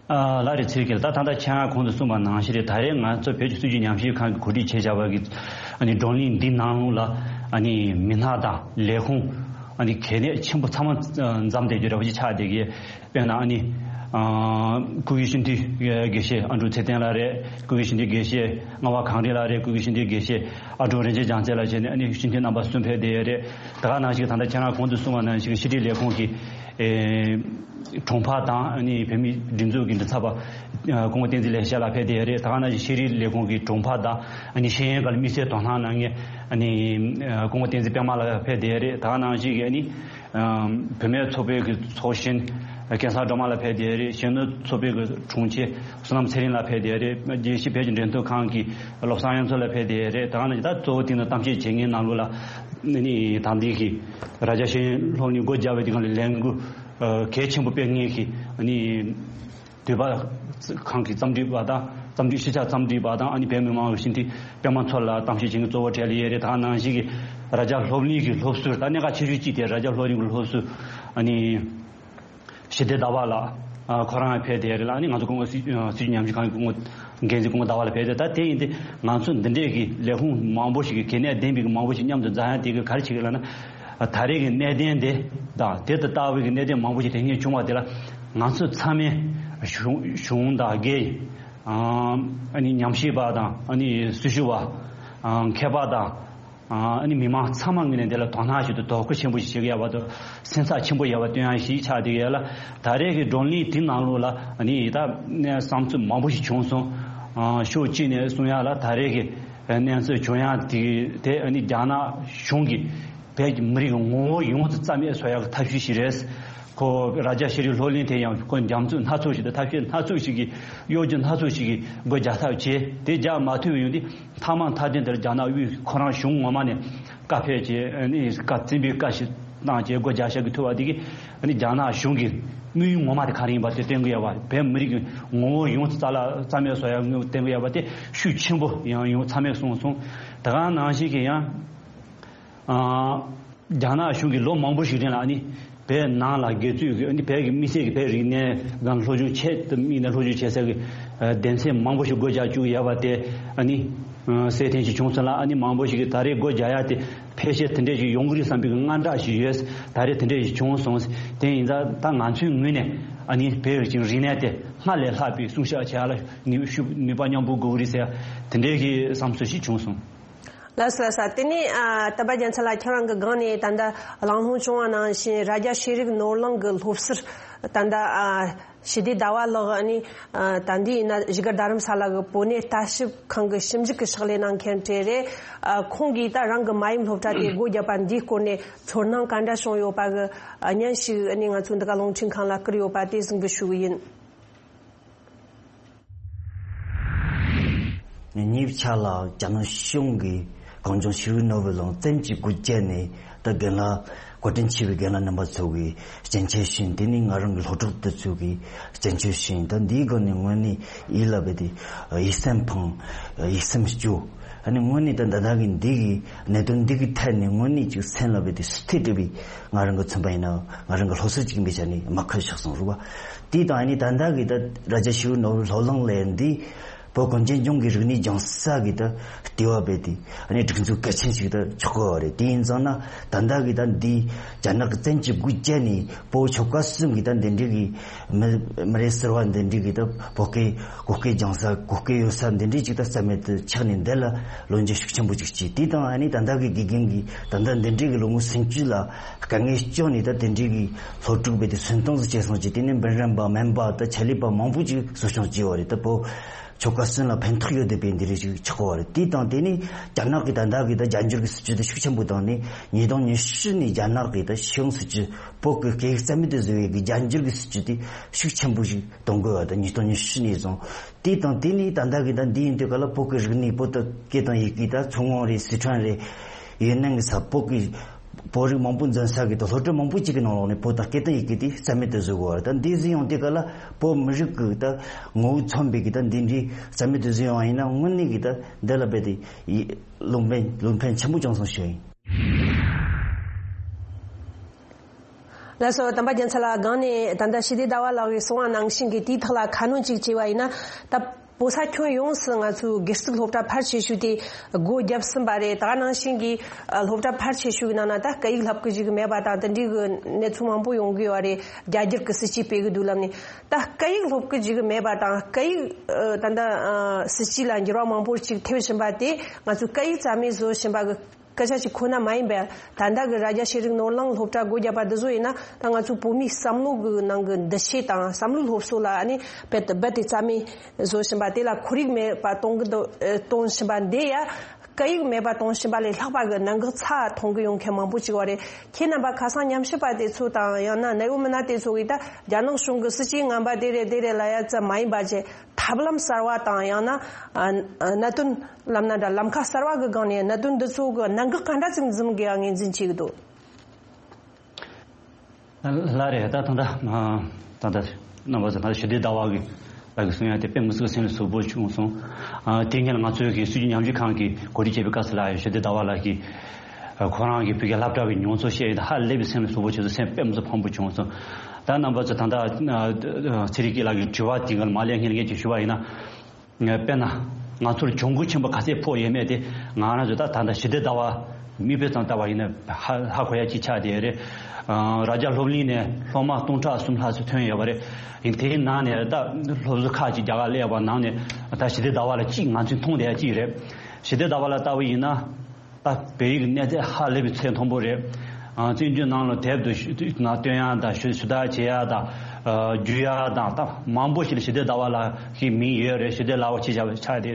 ཨ་ལགས་རེད། ཚེ་རིང་ལགས། ད་ད་ལྟ་ཁྱེད་རང་གོང་དུ་གསུངས་པ་ནང་བཞིན་རེད། ད་རེས་ང་ཚོ་བོད་ཀྱི་སྲིད་བྱུས་ཉམས་ཞིབ་ཁང་གིས་གོ་སྒྲིག་བྱས་བཞག་པ་གི་ཨ་ནི་བགྲོ་གླེང་འདི་ནང་ལ་ཨ་ནི་མི་སྣ་དང་ལས་ཁུངས་ཨ་ནི་གལ་གནད་ཆེན་པོ་ཚང་མ་འཛོམས་བསྡད་རྒྱུ་འདྲ་པོ་ཅིག་ཆགས་བསྡད་ཀྱི། དཔེར་ན་ཨ་ནི་ཨ་སྐུ་སྒེར་སྤྱི་འཐུས་དགེ་བཤེས་ཨ་འབྲུག་ཚེ་བརྟན་ལགས་རེད། སྐུ་སྒེར་སྤྱི་འཐུས་དགེ་བཤེས་རྔ་བ་གངས་རི་ལགས་རེད། སྐུ་སྒེར་སྤྱི་འཐུས་དགེ་བཤེས་ཨ་འབྲུག་རིན་ཆེན་རྒྱལ་མཚན་ལགས་བྱས་ནས་ཨ་ནི་སྤྱི་འཐུས་རྣམ་པ་གསུམ་ཕེབས་བསྡད་ཡོད་རེད། ད་ག་ནང་བཞིན་ད་ལྟ་ཁྱེད་རང་གོང་དུ་གསུངས་པ་ནང་བཞིན་ཤེས་རིག་ལས་ཁུངས་ཀྱི་ཨེ་དྲུང་འཕར་དང་ཨ་ནི་བོད་མིའི་སྒྲིག་འཛུགས་ཀྱི་མགྲིན་ཚབ་པ་ཨ་སྐུ་ངོ་བསྟན་འཛིན་ལེགས་བཤད་ལགས་ཕེབས་བསྡད་ཡོད་རེད། ད་ག་ནང་བཞིན་ཤེས་རིག་ལས་ཁུངས་ཀྱི་དྲུང་འཕར་དང་ཨ་ནི་ཤེས་ཡོན་སྒང་ལ་དམིགས་བསལ་དོ་སྣང་གནང་མཁན་ཨ་ནི་ཨ་སྐུ་ངོ་བསྟན་འཛིན་པད་མ་ལགས་ཕེབས་བསྡད་ཡོད་རེད། ད་ག་ནང་བཞིན་གྱི་ཨ་ནི་ཨ་བུད་མེད་ཚོགས་པའི་གི་ཚོགས་གཞོན་སྐལ་བཟང་སྒྲོལ་མ་ལགས་ཕེབས་བསྡད་ཡོད་རེད། གཞོན་ནུ་ཚོགས་པའི་གི་དྲུང་ཆེ་བསོད་ནམས་ཚེ་རིང་ལགས་ཕེབས་བསྡད་ཡོད་རེད། རྒྱལ་སྤྱིའི་བོད་ཀྱི་འབྲེལ་མཐུད་ཁང་གི་བློ་བཟང་དབྱངས་མཚོ་ལགས་ཕེབས་བསྡད་ཡོད་རེད། ད་ག་ནང་བཞིན་ད་གཙོ་བོ་དེ་ནི་གཏམ་བཤད་བྱེད་མཁན་ནང་ལོགས་ལ་ཨ་ནི་ད་ལྟའི་གི་རྭ་རྒྱ་ཤེས་ཡོན་སློབ་གླིང་སྒོ་རྒྱག་པའི་དུས་སྒང་ལ་ལས་འགུལ་ཨ་གལ་ཆེན་པོ་སྤེལ་མཁན་གྱི་ཨ་ནི་འདོད་པ་ཁང་གི་རྩོམ་སྒྲིག་པ་དང་རྩོམ་སྒྲིག་ཤེས་བྱ་རྩོམ་སྒྲིག་པ་དང་ཨ་ནི་བོད་མི་མང་གི་སྤྱི་འཐུས་པད་མ་མཚོ་ལ་གཏམ་བཤད་བྱེད་མཁན་གཙོ་བོ་གྲས་ལ་ཡོད་རེད། ད་ག་ནང་བཞིན་གྱི་རྭ་རྒྱ་སློབ་གླིང་གི་སློབ་ཟུར་ད་གནད་འགག་ཆེ་ཤོས་གཅིག་དེ་རྭ་རྒྱ་སློབ་གླིང་གི་སློབ་ཟུར་ཨ་ནི་ཞི་བདེ་ཟླ་བ་ལགས་ཨ་ཁོ་རང་ཕེབས་བསྡད་ཡོད་རེད་ལ། ཨ་ནི་ང་ཚོ་སྐུ་ངོ་སྲིད་སྲིད་སྤྱི་ཉམས་ཞིབ་ཁང་གི་སྐུ་ངོ་འགན་འཛིན་སྐུ་ངོ་ཟླ་བ་ལགས་ཕེབས་བསྡད། ད་དེ་ཡིན་དུས་ང་ཚོ་འདི་འདྲས་ཀྱི་ལས་ཁུངས་མང་པོ་ཞིག་གི་གལ་གནད་ལྡན་པའི་མང་པོ་ཞིག་མཉམ་དུ་འཛོམས་ཡ་དེ་གི་ག་རེ་བྱེད་ཀྱི་ལབ་ན། ད་རེས་ཀྱི་གནད་དོན་དེ་དང་དེ་དང་ལྟ་བུའི་གི་གནད་དོན་མང་པོ་ཞིག་དེ་སྔོན་བྱུང་བ་དེ་ལ་ང་ཚོ་ཚང་མས་གཞུང་གཞུང་དང་སྒེར་ཨ་ནི་ཉམས་ཞིབ་པ་དང་ཨ་ནི་སྲི་ཞུ་བ་ཨ་མཁས་པ་དང་ཨ་ནི་མི་མང་ཚང་མ་ངོས་ནས་དེ་ལ་དོ་སྣང་ཞིག་དང་དོ་ཁུར་ཆེན་པོ་ཞིག་བྱེད་ཀྱི་ཡོད་པ་དང་སེམས་ཐག་ཆེན་པོ་ཡོད་པ་སྟོན་ཡ་ཞིག་ཆགས་བསྡད་ཡོད་ལ། ད་རེས་ཀྱི་བགྲོ་གླེང་དེ་ནང་ལོགས་ལ་ཨ་ནི་ད་བསམ་ཚུལ་མང་པོ་ཞིག་བྱུང་སོང་། ཨ་ཕྱོགས་གཅིག་ནས་གསུང་ཡ་ལ་ད་རེས་ཀྱི་གནས་ཚུལ་བྱུང་ཡ་དེ་དེ་ཨ་ནི་རྒྱ་ནག་གཞུང་གིས་བོད་ཀྱི་མི་རིགས་ཀྱི་ངོ་བོ་ཡོངས་སུ་རྩ་མེད་བཟོ་ཡག་གི་ཐབས་ཤེས་ཤིག་རེད། ཁོ་རྭ་རྒྱ་ཤེས་རིག་སློབ་གླིང་དེ་ཡང་ཁོ་རྒྱ་མཚོ་སྣ་ཚོགས་ཤིག་དང་ཐབས་ཤེས་སྣ་ཚོགས་ཤིག་གིས་གཡོ་སྒྱུ་སྣ་ཚོགས་ཤིག་གིས་སྒོ་རྒྱག་ཐབས་བྱས། དེ་རྒྱག་མ་ཐུབ་པའི་ཡོང་དུས་མཐའ་མ་མཐའ་དོན་དེར་རྒྱ་ནག་དབུས་ཁོ་རང་གཞུང་ངོ་མ་ནས་བཀའ་ཕེབས་བྱས་ཨ་ནི་བཀའ་བཙན་པོའི་བཀའ་ཞིག་བཏང་བྱས་སྒོ་རྒྱག་བཞག་གི་ཐུབ་པ་དེ་གིས་ཨ་ནི་རྒྱ་ནག་གཞུང་གི་དམིགས་ཡུལ་ངོ་མ་དེ་ག་རེ་ཡིན་པ་དེ་སྟོན་གི་ཡོད་པ། བོད་མི་རིགས་ཀྱི་ངོ་བོ་ཡོངས་སུ་རྩ་ལ་རྩ་མེད་བཟོ་ཡག་དངོས་པོ་སྟོན་གི་ཡོད་པ་དེ་ཤུགས་ཆེན་པོ་ཡང་ཡོང་ཚང་མས་གསུངས་སོང་། དེ་ག་ནང་བཞིན་གྱི་ཡང་། ཨ། རྒྱ་ནག་གཞུང་གིས་ལོ་མང་པོ་ཞིག་རིང་ལ་ཨ་ནི་བོད་ནང་ལ་དགེ་ཚུལ་གྱི་ཨ་ནི་བོད་ཀྱི་དམིགས་བསལ་གྱི་བོད་རིག་གནས་སྒང་སློབ་སྦྱོང་ཆེད་དུ་དམིགས་ནས་སློབ་སྦྱོང་བྱེད་ས་གི་ཨ་སྡེ་ཚན་མང་པོ་ཞིག་སྒོ་རྒྱག་བཅུག་ཡོད་པ་དེ་ཨ་ནི་ཨ་གསལ་སྟོན་ཞིག་བྱུང་སོང་ལ། ཨ་ནི་མང་པོ་ཞིག་གིས་ད་རེས་སྒོ་རྒྱག་ཡ་དེ་ཕལ་ཆེར་དེ་འདྲས་ཞིག་ཡོང་གི་རེད་བསམ་པའི་དངངས་སྐྲག་ཞིག་ཡོད། ད་རེས་དེ་འདྲས་ཞིག་བྱུང་སོང་། དེ་ཡིན་ཙང་ད་ང་ཚོའི་ངོས་ནས་ཨ་ནི་བོད་ཀྱི་རིག་གནས་དེ་སྔར་ལས་ལྷག་པའི་སྲུང་སྐྱོབ་བྱེད་ཡ་ལ་ནུས་ཤུགས་ནུས་པ་མཉམ་སྤུངས་དགོས་ཀྱི་རེད་ཟེར་ཡ་དེ་འདྲས་ཀྱི་བསམ་ཚུལ་ཞིག་བྱུང་སོང་། ལགས་སོ་ལགས་སོ། དེ་ནས་ཨ་སྟོན་པ་རྒྱལ་མཚན་ལགས་ཁྱེད་རང་གི་སྒང་ནས་ད་ལྟ་གླེང་སློང་བྱུང་བ་ནང་བཞིན་རྭ་རྒྱ་ཤེས་རིག་ནོར་གླིང་གི་སློབ་ཟུར་ད་ལྟ་ཨ་ཞི་བདེ་ཟླ་བ་ལགས་ཨ་ནི་ཨ་ད་འདི་ཡིན་ན་བཞུགས་སྒར་རྡ་རམ་ས་ལ་གི་བོད་གནས་ལྟ་ཞིབ་ཁང་གི་ཞིབ་འཇུག་གི་ཕྱག་ལས་གནང་མཁན་གྲས་རེད། ཨ་ཁོང་གིས་ད་རང་གི་མ་ཡུམ་སློབ་གྲྭ་དེ་སྒོ་བརྒྱབ་པ་འདིའི་སྐོར་ནས་ཚོར་སྣང་ག་འདྲ་བྱུང་ཡོད་པ་གི་ཨ་བརྙན་ཞིག་ཨ་ནི་ང་ཚོའི་འདི་ག་རླུང་འཕྲིན་ཁང་ལ་བསྐུར་ཡོད་པ་དེ་གཟིགས་འབུལ་ཞུ་གི་ཡིན། ཉེ་བའི་ཆར་ལ་རྒྱ་ནག་གཞུང་གིས་གངས་ལྗོངས་ཤེས་རིག་ནོར་བུ་གླིང་བཙན་གྱིས་སྒོ་བརྒྱབ་ནས་ད་རྒན་ལགས་བཀའ་དྲིན་ཆེ་བའི་རྒན་ལགས་རྣམ་པ་ཚོ་གིས་སྐྱོན་བརྗོད་ཞུས། དེ་ནས་ང་རང་གི་སློབ་ཕྲུག་དེ་ཚོ་གིས་སྐྱོན་བརྗོད་ཞུས། ད་འདིའི་སྒང་ནས་དངོས་གནས་ཡིད་ལ་བས་ཏེ་ཡིད་སེམས་ཕངས། ཡིད་སེམས་སྐྱོ། ཨ་ནི་དངོས་གནས་ད་ད་ལྟ་གི་འདི་གི་གནད་དོན་འདི་གི་ཐད་ནས་དངོས་གནས་ཅིག་སེམས་ལ་བས་ཏེ་ཟུག་ཐལ་འདྲ་བའི་ང་རང་གི་མཚོན་པ་ཡིན་ན་ང་རང་གི་སློབ་གསོ་ཅིག་ཡིན་པའི་ཆ་ནས་མ་ཁ་ཤག་སོང་རུ་བ། དེ་དང་ཨ་ནི་ད་ལྟ་གི་ད་རྭ་རྒྱ་ཤེས་རིག་ནོར་བུ་སློབ་གླིང་ལས་འདི་བོད་གངས་ཅན་ལྗོངས་ཀྱི་རིག་གནས་སྦྱང་ས་གི་ད་ལྟེ་བ་བས་ཏེ་ཨ་ནི་སྒྲིག་འཛུགས་གལ་ཆེན་ཞིག་ད་ཆགས་ཀྱི་ཡོད་རེད། དེ་ཡིན་ཙང་ན་ད་ལྟ་གི་ད་འདི་རྒྱ་ནག་གི་བཙན་གྱིས་སྒོ་བརྒྱབ་ནས་བོད་ཆོལ་ཁ་གསུམ་གི་ད་འདི་འདྲའི་གི་མི་མི་རེ་ཟུར་བ་འདི་འདྲའི་གི་ད་བོད་སྐད་གོ་སྐད་སྦྱང་ས་གོ་སྐད་ཡོད་ས་འདི་འདྲའི་ཅིག་ད་རྩ་མེད་དུ་ཆགས་ནས་འདི་ལ་ལོ་རྒྱུས་ཤུགས་ཆེན་པོ་ཅིག་བྱས། དེ་དང་ཨ་ནི་ད་ལྟ་གི་དགེ་རྒན་གྱིས་ད་ལྟ་འདི་འདྲའི་གི་ལོ་ངོ་སུམ་ཅུ་ལ་དཀའ་ངལ་སྐྱོན་ནས་ད་དེ་འདྲའི་གི་སློབ་ཕྲུག་བས་དེ་སུན་སྟངས་སུ་བྱས་སོང་ཅིག་དེ་ནས་འབུམ་རམས་པ་སྨན་པ་ད་ཆེད་ལས་པ་མང་པོ་ཅིག་གསོ་སྐྱོང་བྱས་པ་རེད། ད་བོད་ཆོལ་ཁ་གསུམ་ལ་ཕན་ཐོགས་ཡོད་བསྡད་པའི་འདི་རིགས་ཅིག་ཆགས་པ་རེད། དེ་དང་དེ་ནས་རྒྱ་ནག་གི་ད་ལྟ་གི་ད་རྒྱ་འགྱུར་གི་སྲིད་ཇུས་དེ་ཤུགས་ཆེན་པོ་བཏང་ནས་ཉིས་སྟོང་ཉི་ཤུ་ནས་རྒྱ་ནག་གི་ད་ཤེས་ཡོན་སྲིད་ཇུས་བོད་ཀྱི་སྐད་ཡིག་རྩ་མེད་དུ་བཟོ་བའི་གི་རྒྱ་འགྱུར་གི་སྲིད་ཇུས་དེ་ཤུགས་ཆེན་པོ་ཞིག་གཏོང་དགོས་པ་དང་ཉིས་སྟོང་ཉི་ཤུ་ནས་བཟུང་། དེ་དང་དེ་ནས་ད་ལྟ་གི་ད་འདི་ཡིན་དུས་ག་ལ་བོད་ཀྱི་རིག་གནས་བོད་དུ་སྐད་དང་ཡི་གེ་ད་མཚོ་སྔོན་རེད། སི་ཁྲོན་རེད། ཡུན་ནན་གི་ས་བོད་ཀྱི་བོད་རིགས་མང་པོ་འཛོམས་ས་གི་ད་སློབ་གྲྭ་མང་པོ་ཅིག་གི་ནང་ལོགས་ནས་བོད་དང་སྐད་དང་ཡི་གེ་དེ་རྩ་མེད་དུ་བཟོ་དགོས་པ་རེད། ད་འདི་ཟིན་ཡོང་དུས་ག་ལ་བོད་མི་རིགས་ཀྱི་ད་ངོ་བོ་མཚོན་པའི་གི་ད་འདི་འདྲའི་རྩ་མེད་དུ་བཟོས་ཡོང་བ་ཡིན་ན་དངོས་གནས་གི་ད་འདི་ལ་རྦད་དེ་ཡི་ལུང་ཕན་ལུང་ཕན་ཆེན་པོ་བྱུང་སོང་ཞུ་ཡིན། ལགས་སོ། དམ་པ་རྒྱལ་མཚན་ལགས། སྒང་ནས་ད་ལྟ་ཞི་བདེ་ཟླ་བ་ལགས་ཀྱིས་གསུངས་པ་ནང་བཞིན་གྱི་དེའི་ཐོག་ལ་ཁ་སྣོན་ཅིག་བྱས་པ་ཡིན་ན། ད་བོད་ས་ཁྱོན་ཡོངས་སུ་ང་ཚོའི་སྒེར་ཚུགས་སློབ་གྲྭ་ཕལ་ཆེ་ཤོས་དེ་སྒོ་བརྒྱབ་ཟིན་པ་རེད། ད་ག་ནང་བཞིན་གྱི་ཨ་སློབ་གྲྭ་ཕལ་ཆེ་ཤོས་ཀྱི་ནང་ན་ད་སྐད་ཡིག་སློབ་ཀྱི་ཅིག་མེད་པ་དང་དེ་འདྲའི་གི་གནས་ཚུལ་མང་པོ་ཡོང་གི་ཡོད་རེད། རྒྱ་སྒྱུར་གྱི་སྲིད་ཇུས་སྤེལ་གི་འདུག་ལབ་ནས། ད་སྐད་ཡིག་སློབ་ཀྱི་ཅིག་མེད་པ་དང་སྐད་ཡིག་ཨ་ད་ལྟ་ཨ་སྲིད་ཇུས་ལ་འགྱུར་བ་མང་པོ་ཅིག་ཐེབས་བཞིན་པ་དེ་ང་ཚོས་སྐད་ཡིག་རྩ་མེད་བཟོ་བཞིན་པ་གི་སྐད་ཆ་ཞིག་ཁོ་ན་མ་ཡིན་པས། ད་ལྟ་གི་རྭ་རྒྱ་ཤེས་རིག་ནོར་གླིང་སློབ་གྲྭ་སྒོ་བརྒྱབ་པ་འདི་ཚོ་ཡིན་ན་ད་ང་ཚོའི་བོད་མིའི་བསམ་བློ་གི་ནང་གི་འདུ་ཤེས་དང་བསམ་བློའི་སློབ་གསོ་ལ་ཨ་ནི་རྦད་དེ་རྦད་དེ་རྩ་མེད་བཟོ་བཞིན་པ་དེ་ལ་ཁོར་ཡུག་མེད་པ་གཏོང་གི་འདུག་ཨེ་གཏོང་བཞིན་པ་འདི་ཡ། སྐད་ཡིག་མེད་པ་གཏོང་བཞིན་པ་ལས་ལྷག་པ་གི་གནད་འགག་ཚ་མཐོང་གི་ཡོང་མཁན་མང་པོ་ཅིག་ཡོད་རེད། ཁྱེད་རྣམ་པ་ཁ་སང་ཉམས་ཞིབ་པ་དེ་ཚོ་དང་ཡང་ན་གནད་ཡོད་མི་སྣ་དེ་ཚོ་གིས་ད་རྒྱ་ནག་གཞུང་གི་སྲིད་ཇུས་ངན་པ་དེ་རེད་དེ་རེད་ལབ་ཡ་ཙམ་མ་ཡིན་པ་བྱས། ཐབས་ལམ་གསར་བ་དང་ཡང་ན་ཨ་ཨ་གནད་དོན་ལབ་ན་འདྲ། ལམ་ཁ་གསར་བ་གི་སྒང་ནས་གནད་དོན་འདི་ཚོ་གི་གནད་འགག་ག་འདྲ་ཅིག་འཛིན་དགོས་ཡ་ངོས་འཛིན་བྱེད་ཀྱི་འདུག་ལགས་རེད། ད་ད་ད་ད་ད་རྣམ་པ་ཚོ་ད་ཞི་བདེ་ཟླ་བ་གི་ལགས་ཀྱི་གསུང་ཡ་དེ་དཔེ་མི་སྲིད་སེམས་ལ་ཟུག་པོ་བྱུང་སོང་། ཨ་དེ་སྔོན་ང་ཚོའི་གི་སྲིད་བྱུས་ཉམས་ཞིབ་ཁང་གི་གོ་སྒྲིག་བྱས་པའི་སྐབས་སུ་ལ་ཞི་བདེ་ཟླ་བ་ལགས་ཀྱིས་ཁོ་རང་གི་བོད་ཀྱི་སློབ་གྲྭ་གི་མྱོང་ཚོར་བཤད་ཡོད་ད་ཧ་ལས་པའི་སེམས་ལ་ཟུག་པོ་བྱུང་སོང་། སེམས་དཔེ་མི་སྲིད་ཕམ་པོ་བྱུང་སོང་། ད་རྣམ་པ་ཚོ་ད་ད་ཚེ་རིང་སྐྱིད་ལགས་ཀྱི་དྲི་བ་དེ་ག་ལ་མ་ལན་སྔོན་ལ་ངས་ཅིག་ཞུ་བ་ཡིན་ན། དཔེར་ན། ང་ཚོར་གྱོང་གུན་ཆེན་པོ་ག་ཚད་ཕོག་ཡོད་མེད་དེ་ང་རང་ཚོ་ད་ད་ལྟ་ཞི་བདེ་ཟླ་བ་མིག་དཔེ་ཙམ་ལྟ་བ་ཡིན་ན་ཧ་ཧ་གོ་ཡ་ཅིག་ཆགས་བསྡད་ཡོད་རེད། ཨ་རྭ་རྒྱ་སློབ་གླིང་ནས་སློབ་མ་སྟོང་ཕྲག་གསུམ་ལྷག་ཙམ་ཐོན་ཡོད་པ་རེད། ཡིན་དེའི་ནང་ནས་ད་སློབ་གསོ་ཁག་ཅིག་རྒྱ་གར་སླེབས་པ་ནང་ནས་ད་ཞི་བདེ་ཟླ་བ་ལ་གཅིག་ང་ཚོས་མཐོང་བསྡད་ཡ་གཅིག་རེད། ཞི་བདེ་ཟླ་བ་ལ་ལྟ་བུ་ཡིན་ན། ད་བོད་ཡིག་གི་གནས་ཚད་ཧ་ལས་པའི་ཚད་མཐོན་པོ་རེད། ཨ་བཙན་བྱོལ་ནང་ལ་དེབ་ཏུ་ཞུ་ན་སྟོན་ཡ་དང་ཞུ་ཞུ་དག་བྱེད་ཡ་དང་ཨ་བརྒྱུད་ཡ་དང་ད་མང་པོ་ཞིག་ལ་ཞི་བདེ་ཟླ་བ་ལགས་ཀྱི་མིང་ཡོད་རེད། ཞི་བདེ་ལགས་པ་ཆེ་བཞག་པའི་ཆ་དེ་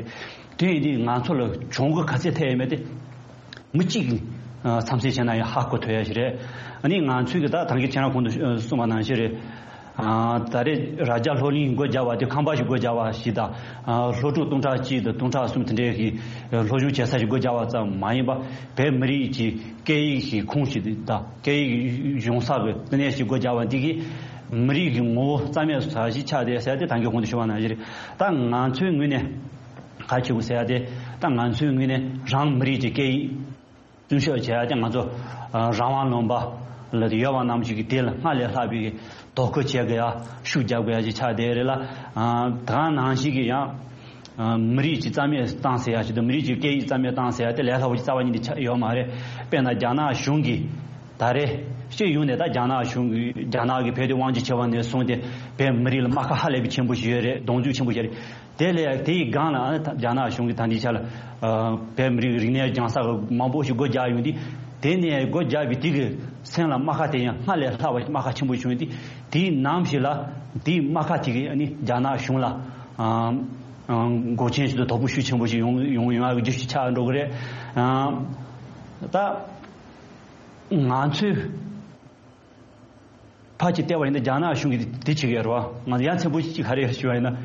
དེ་ཡིན་དུས་ང་ཚོ་ལ་གྱོང་གུན་ག་ཚད་ཐེབས་ཡོད་མེད་དེ་མི་གཅིག་གིས་ཨ་འཚམས་གཟིགས་བྱས་ན་ཡང་ཧ་གོ་ཐུབ་ཡ་ཞིག་རེད། ཨ་ནི་ང་ཚོས་གི་ད་ད་གིན་ཁྱེད་རང་གོང་དུ་གསུངས་པ་ནང་བཞིན་རེད། ཨ་ད་རེས་རྭ་རྒྱ་སློབ་གླིང་སྒོ་བརྒྱབ་པ་དེ་ཁང་པ་ཞིག་སྒོ་བརྒྱབ་པ་ཞིག་དང་། ཨ་སློབ་ཕྲུག་སྟོང་ཕྲག་གཅིག་དང་སྟོང་ཕྲག་གསུམ་དེ་འདྲའི་གི་སློབ་སྦྱོང་བྱེད་ས་ཞིག་སྒོ་བརྒྱབ་པ་ཙམ་མ་ཡིན་པ་བོད་མི་རིགས་ཀྱི་སྐད་ཡིག་གི་ཁོངས་ཤིག་དང་སྐད་ཡིག་སྦྱོང་ས་གི་བསྟི་གནས་ཤིག་སྒོ་བརྒྱབ་པ་འདི་གིས་མི་རིགས་ཀྱི་ངོ་བོ་རྩ་མེད་བཟོ་ས་ཞིག་ཆགས་བསྡད་ཟེར་ཏེ་ད་གིན་གོང་དུ་ཞུ་བ་ནང་བཞིན་རེད། ད་ང་ཚོའི་ངོས་ནས་ག་རེ་བྱེད་དགོས་ཟེར་ཏེ་ད་ང་ཚོའི་ངོས་ནས་རང་མི་རིགས་ཀྱི་སྐད་ཡིག་བརྩོན་ཤོག་བྱས་ཏེ་ང་ཚོ་ཨ་རང་དབང་ལུང་པ་ལ་ཡོད་པ་རྣམས་ཀྱིས་དེ་ལ་སྔར་ལས་ལྷག་པའི་དོ་ཁུར་བྱེད་དགོས་ཡ་ཤུགས་རྒྱབ་དགོས་ཡ་ཅིག་ཆགས་བསྡད་རེད་ལ། ཨ་ད་ག་ནང་བཞིན་གྱི་ཡང་ཨ་མི་རིགས་ཀྱི་རྩ་མེད་བཏང་ཟེར་ཡ་ཞིག་འདུག་མི་རིགས་ཀྱི་སྐད་ཡིག་རྩ་མེད་བཏང་ཟེར་ཡ་དེ་ལས་སླ་པོ་ཅིག་རྩ་བ་ཉིད་ནས་ཆགས་ཡོད་མ་རེད། དཔེར་ན་རྒྱ་ནག་གཞུང་གིས་ད་རེས་སྤྱི་ཡོངས་ནས་ད་རྒྱ་ནག་གཞུང་གིས་རྒྱ་ནག་གིས་བོད་དེ་དབང་སྒྱུར་བྱས་པ་ནས་བཟུང་སྟེ་བོད་མི་རིགས་ལ་རྨ་ཁ་ཧ་ལས་པའི་ཆེན་པོ་ཞིག་ཡོད་རེད། གདོང་རྒྱུག་ཆེན་པོ་ཞིག་རེད། དེ་ལས་དེའི་སྒང་ལ་ཨ་ནི་རྒྱ་ནག་གཞུང་གིས་ད་ལྟའི་ཆ་ལ་ཨ་བོད་མི་རིགས་རིག་གནས་སྦྱང་ས་མང་པོ་ཞིག་སྒོ་རྒྱག་ཡོང་དུས་དེ་ནས་སྒོ་རྒྱག་པའི་དེ་གི་སེམས་ལ་རྨ་ཁ་དེ་ཡང་སྔར་ལས་ལྷག་པ་རྨ་ཁ་ཆེན་པོ་བྱུང་དུས་དེའི་ནམ་ཞིག་ལ་དེའི་རྨ་ཁ་དེ་གི་ཨ་ནི་རྒྱ་ནག་གཞུང་ལ་ཨ་ཨ་འགོག་རྐྱེན་ཞིག་ཏུ་དོ་ཕོག་ཤུགས་ཆེན་པོ་ཞིག་ཡོང་ཡོང་ཡོང་ཡག་གི་རྒྱུ་ཞིག་ཆགས་འགྲོ་གི་རེད། ཨ་ད་ང་ཚོས། ཕར་ཅིག་བལྟས་པ་ཡིན་ན་རྒྱ་ནག་གཞུང་གིས་དེ་བྱེད་ཀྱི་ཡོད་རེད་བ། ང་ཚོ་ཡ་མཚན་པོ་གཅིག་ག་རེ་ཞུ་བ་ཡིན་ན།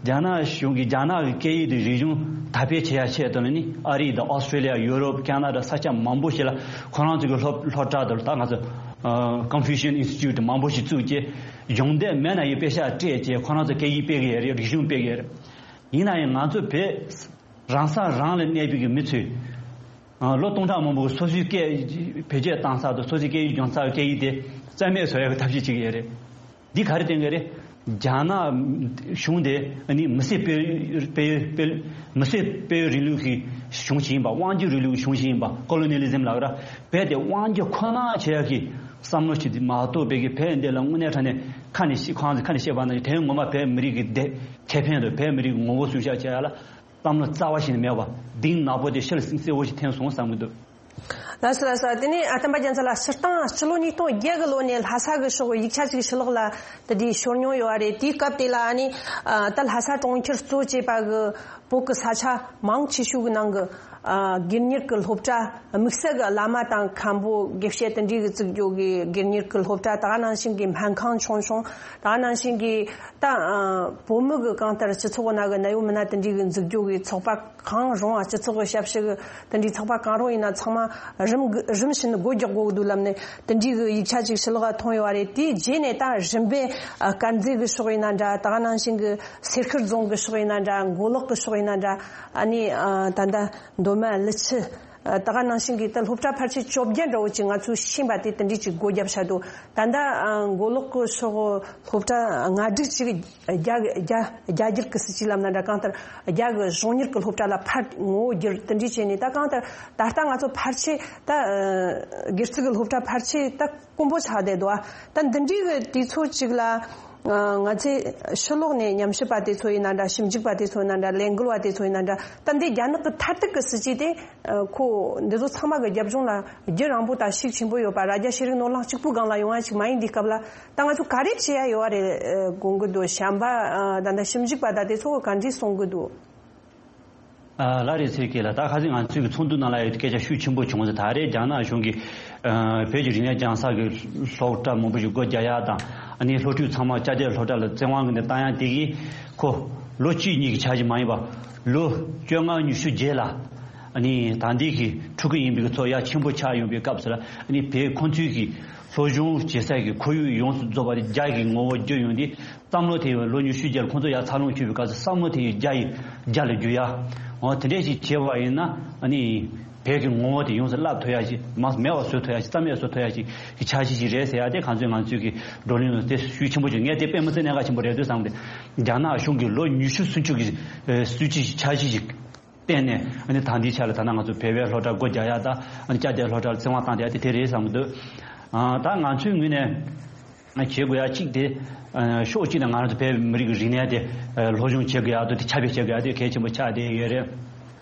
རྒྱ་ནག་གཞུང་གིས་རྒྱ་ནག་གི་སྐད་ཡིག་དེ་རིག་གཞུང་དར་སྤེལ་བྱེད་ཡ་ཆེད་དུ་ནི་ཨ་རི་དང་ཨོ་སི་ཀྲེ་ལི་ཡ། ཡུ་རོབ། ཁ་ན་ཌ། ས་ཆ་མང་པོ་ཞིག་ལ་ཁོ་རང་ཚོ་གི་སློབ་སློབ་གྲྭ་དང་ད་ང་ཚོ་ཀོན་ཕུ་ཤན་ཨིན་སི་ཊི་ཊུཊ་མང་པོ་ཞིག་བཙུགས་རྗེས་སྦྱོང་འདོད་མེད་ན་ཡང་པེ་ཤག་སྤྲད་རྗེས་ཁོ་རང་ཚོ་སྐད་ཡིག་སྤེལ་གི་ཡོད་རེད། རིག་གཞུང་སྤེལ་གི་ཡོད་རེད། ཡིན་ན་ཡང་ང་ཚོ་བོད་རང་ས་རང་ལ་གནས་པའི་གི་མི་ཚོས། ཨ་ལོ་སྟོང་ཕྲག་མང་པོ་གི་སོ་སོའི་སྐད་བེད་སྤྱོད་བཏང་ས་དང་སོ་སོའི་སྐད་ཡིག་སྦྱོང་ས་སྐད་ཡིག་དེ་རྩ་མེད་བཟོ་ཡག་གི་ཐབས་ཤེས་བྱེད་ཀྱི་ཡོད་རེད། འདི་ག་རེ་བསྟན་གྱི་རེད། རྒྱ་ནག་གཞུང་དེ་ཨ་ནི་མི་སེར་སྤེལ་སྤེལ་སྤེལ་མི་སེར་སྤེལ་རིང་ལུགས་ཀྱི་གཞུང་ཞིག་ཡིན་པ། དབང་སྒྱུར་རིང་ལུགས་ཀྱི་གཞུང་ཞིག་ཡིན་པ། ཀོ་ལོ་ནི་ལི་ཛིམ་ལབ་ར། རྦད་དེ་དབང་སྒྱུར་ཁོ་ན་བྱེད་ཡག་གི་བསམ་བློ་ཞིག་མ་གཏོགས་བོད་ཀྱི་བོད་འདི་ལ་དངོས་གནས་དྲང་གནས་ཁ་ནས་ཤེས་ཁོང་ཚོ་ཁ་ནས་བཤད་པ་ན་དོན་ངོ་མ་བོད་མི་རིགས་ཀྱི་བདེ་ཁེ་ཕན་དང་བོད་མི་རིགས་ངོ་བོ་སྲུང་སྐྱོབ་བྱེད་ཡག་ལ། བསམ་བློ་རྩ་བ་ཞིག་ནས་མེད་པ། གདེང་ནག་པོ་དེ་ཤེལ་སིང་གསལ་བོ་ཞིག་འཐེན་སོང་བསམ་གྱི་འདུག་ལགས་སོ་ལགས་སོ། དེ་ནས་ཨ་དམ་པ་རྒྱལ་མཚན་ལགས། སྤྱིར་བཏང་སྤྱི་ལོ་ཉིས་སྟོང་བརྒྱད་གི་ལོ་ནས་ལྷ་ས་གི་ཕྱོགས་ཡིག་ཆ་ཅིག་ཕྱི་ལོགས་ལ་དེ་འདྲའི་ཤོར་མྱོང་ཡོད་པ་རེད། དེའི་སྐབས་དེ་ལ་ཨ་ནི་ཨ་ད་ལྷ་ས་གྲོང་ཁྱེར་གཙོ་བྱས་པ་གི་བོད་ཀྱི་ས་ཆ་མང་ཆེ་ཤོས་ཀྱི་ནང་གི་ཨ་སྒེར་གཉེར་གྱི་སློབ་གྲྭ། དམིགས་བསལ་གྱི་བླ་མ་དང་མཁན་པོ་དགེ་བཤེས་དེ་འདྲའི་གི་བཙུགས་རྒྱུ་གི་སྒེར་གཉེར་གྱི་སློབ་གྲྭ། ད་ག་ནང་བཞིན་གྱི་སྨན་ཁང་ཆུང་ཆུང་། ད་ག་ནང་བཞིན་གྱི་ད་ཨ་བོད་མི་གི་གང་ལྟར་སྤྱི་ཚོགས་ནང་གི་གནད་ཡོད་མི་སྣ་དེ་འདྲའི་གི་འཛུགས་རྒྱུ་གི་ཚོགས་པ་གང་རུང་བ། སྤྱི་ཚོགས་ཀྱི་ཞབས་ཞུ་གི་དེ་འདྲའི་ཚོགས་པ་གང་རུང་ཡིན་ན་ཚང་མ་རིམ་གི་རིམ་བཞིན་སྒོ་རྒྱག་དགོས་ཀྱི་འདུག་ལབ་ནས་དེ་འདྲའི་གི་ཡིག་ཆ་ཅིག་ཕྱི་ལོགས་ལ་ཐོན་ཡོད་པ་རེད། དེའི་རྗེས་ནས་ད་རིམ་པས་ཨ་དཀར་མཛེས་གི་ཕྱོགས་ཡིན་ན་འདྲ། ད་ག་ནང་བཞིན་གི་སེར་ཤུལ་རྫོང་གི་ཕྱོགས་ཡིན་ན་འདྲ། མགོ་ལོག་གི་ཕྱོགས་ཡིན་ན་འདྲ། ཨ་ནི་ཨ་ད་ལྟ་མདོ་སྨད་ཀླུ་ཆུ། ད་ག་ནང་བཞིན་གྱི་ད་སློབ་གྲྭ་ཕལ་ཆེར་བཅོ་བརྒྱད་འདྲ་བོ་ཅིག་ང་ཚོས་ཤེས་པ་དེ་དེ་འདྲས་ཅིག་སྒོ་བརྒྱབ་བཞག་འདུག་ད་ལྟ་མགོ་ལོག་གི་ཕྱོགས་སློབ་གྲྭ་ལྔ་སྒྲིག་ཅིག་རྒྱ་རྒྱ་རྒྱ་སྒྱུར་གྱི་སྲིད་ཇུས་ལམ་ནང་འདྲ། གང་ལྟར་རྒྱ་གི་གཞུང་གཉེར་གྱི་སློབ་གྲྭ་ལ་ཕར་ངོ་བོ་བསྒྱུར་དེ་འདྲས་བྱས་ནས། ད་གང་ལྟར་ད་ལྟ་ང་ཚོ་ཕལ་ཆེར་ད་སྒེར་ཚུགས་ཀྱི་སློབ་གྲྭ་ཕལ་ཆེར་ད་དཀོན་པོ་ཆགས་བསྡད་འདུག་ད་འདི་འདྲའི་གི་དུས་ཚོད་ཅིག་ལ། ང་ཚོས་ཕྱི་ལོགས་ནས་ཉམས་ཞིབ་པ་དེ་ཚོ་ཡིན་ན་འདྲ། ཞིབ་འཇུག་པ་དེ་ཚོ་ཡིན་ན་འདྲ། ལས་འགུལ་བ་དེ་ཚོ་ཡིན་ན་འདྲ། ད་འདི་རྒྱ་ནག་གི་མཐར་ཐུག་གི་སྲིད་ཇུས་དེ། ཁོ་འདི་ཚོ་ཚང་མ་གི་རྒྱབ་ལྗོངས་ལ་རྒྱུ་རིང་པོ་དང་ཤུགས་ཆེན་པོ་ཡོད་པ། རྭ་རྒྱ་ཤེས་རིག་ནོར་གླིང་གཅིག་པུའི་སྒང་ལ་ཡོང་བ་ཞིག་མ་ཡིན་དུས་སྐབས་ལ། ད་ང་ཚོ་ག་རེ་བྱེད་ཡ་ཡོད་བ་རེད་དགོངས་ཀྱི་འདུག་བྱམས་པ་ད་ལྟ་ཞིབ་འཇུག་པ་དང་དེ་ཚོ་གི་ག་འདྲས་གསུང་གི་འདུག་ལ་རེ་ཚེ་སྐྱིད་ལགས། ད་ཁ་སང་ང་ཚོའི་གི་ཚོགས་འདུ་ནང་ལ་ཡོད་སྐད་ཆ་ཤུགས་ཆེན་པོ་བྱུང་ཟེར། ད་རེས་རྒྱ་ནག་གཞུང་གིས་བོད་ཀྱི་རིག་གནས་སྦྱང་ས་གི་སློབ་གྲྭ་མང་པོ་ཞིག་སྒོ་རྒྱག་ཡ་དང་། ཨ་ནི་སློབ་ཕྲུག་ཚང་མ་ཅ་ཆས་སློབ་གྲྭ་ལ་བཙན་དབང་གི་ནས་བཏང་ཡ་དེ་གིས་ཁོ་ལོ་གཅིག་གཉིས་ཀྱི་འཆར་གཞི་མ་ཡིན་པ། ལོ་བཅོ་ལྔ་ཉི་ཤུ་རྗེས་ལ་ཨ་ནི་ད་ལྟའི་གི་ཕྲུ་གུ་ཡིན་པའི་གི་ཚོ་ཡ་ཆེན་པོ་ཆགས་ཡོང་པའི་སྐབས་སུ་ལ། ཨ་ནི་བོད་ཁོང་ཚོའི་གི་སློབ་སྦྱོང་བྱེད་སའི་གི་ཁོར་ཡུག་ཡོངས་སུ་རྫོགས་པ་དེ་རྒྱ་གི་ངོ་བོ་བསྒྱུར་ཡོང་དུས། བསམ་བློ་དེ་ཡང་ལོ་ཉི་ཤུ་རྗེས་ལ་ཁོང་ཚོ་ཡར་འཚར་ལོངས་བྱུང་བའི་སྐབས་སུ་བསམ་བློ་དེ་ཡང་རྒྱ་ཡི་རྒྱ་ལ་བསྒྱུར་ཡ། འོ་དེ་འདྲས་ཞིག་བྱས་པ་ཡིན་ན། ཨ་ནི་བོད་ཀྱི་ངོ་བོ་དེ་ཡོངས་སུ་བརླག་ཐུབ་ཡ་ཞིག་མ་མེད་པ་བཟོ་ཐུབ་ཡ་ཞིག་རྩ་མེད་བཟོ་ཐུབ་ཡ་ཞིག་གི་འཆར་གཞི་ཞིག་རེད་ཟེར་ཡ་དེ་གང་ཚོད་ང་ཚོས་ཀྱི་བགྲོ་གླེང་ལ་དེ་ཤུགས་ཆེན་པོ་བྱུང་། ངས་དེ་དཔེ་མི་སྲིད་གནད་འགག་ཆེན་པོ་རེད་འདུག་བསམ་སྟེ། རྒྱ་ནག་གཞུང་གིས་ལོ་ཉི་ཤུ་སུམ་ཅུ་གི་སྲིད་ཇུས་འཆར་གཞི་ཞིག་བརྟེན་ནས། ཨ་ནི་ད་ལྟའི་ཆ་ལ་ད་ནང་ང་ཚོ་བོད་པའི་སློབ་གྲྭ་སྒོ་རྒྱག་ཡ་དང་། ཨ་ནི་ཅ་ཆས་སློབ་གྲྭ་ལ་བཙན་དབང་བཏང་བསྡད་ཡ་དེ་དེ་རེད་བསམ་གྱི་འདུག་ཨ། ད་ང་ཚོའི་ངོས་ནས་བྱེད་དགོས་ཡ་གཅིག་དེ། ཕྱོགས་གཅིག་ནས་ང་རང་ཚོ་བོད་མི་རིགས་ཀྱི་རིག་གནས་དེ་སློབ་སྦྱོང་བྱེད་དགོས་ཡ་དང་དེ་ཁྱབ་སྤེལ་བྱེད་དགོས་ཡ་དེ་གལ་ཆེན་པོ་ཆགས་བསྡད་ཡོད་རེད།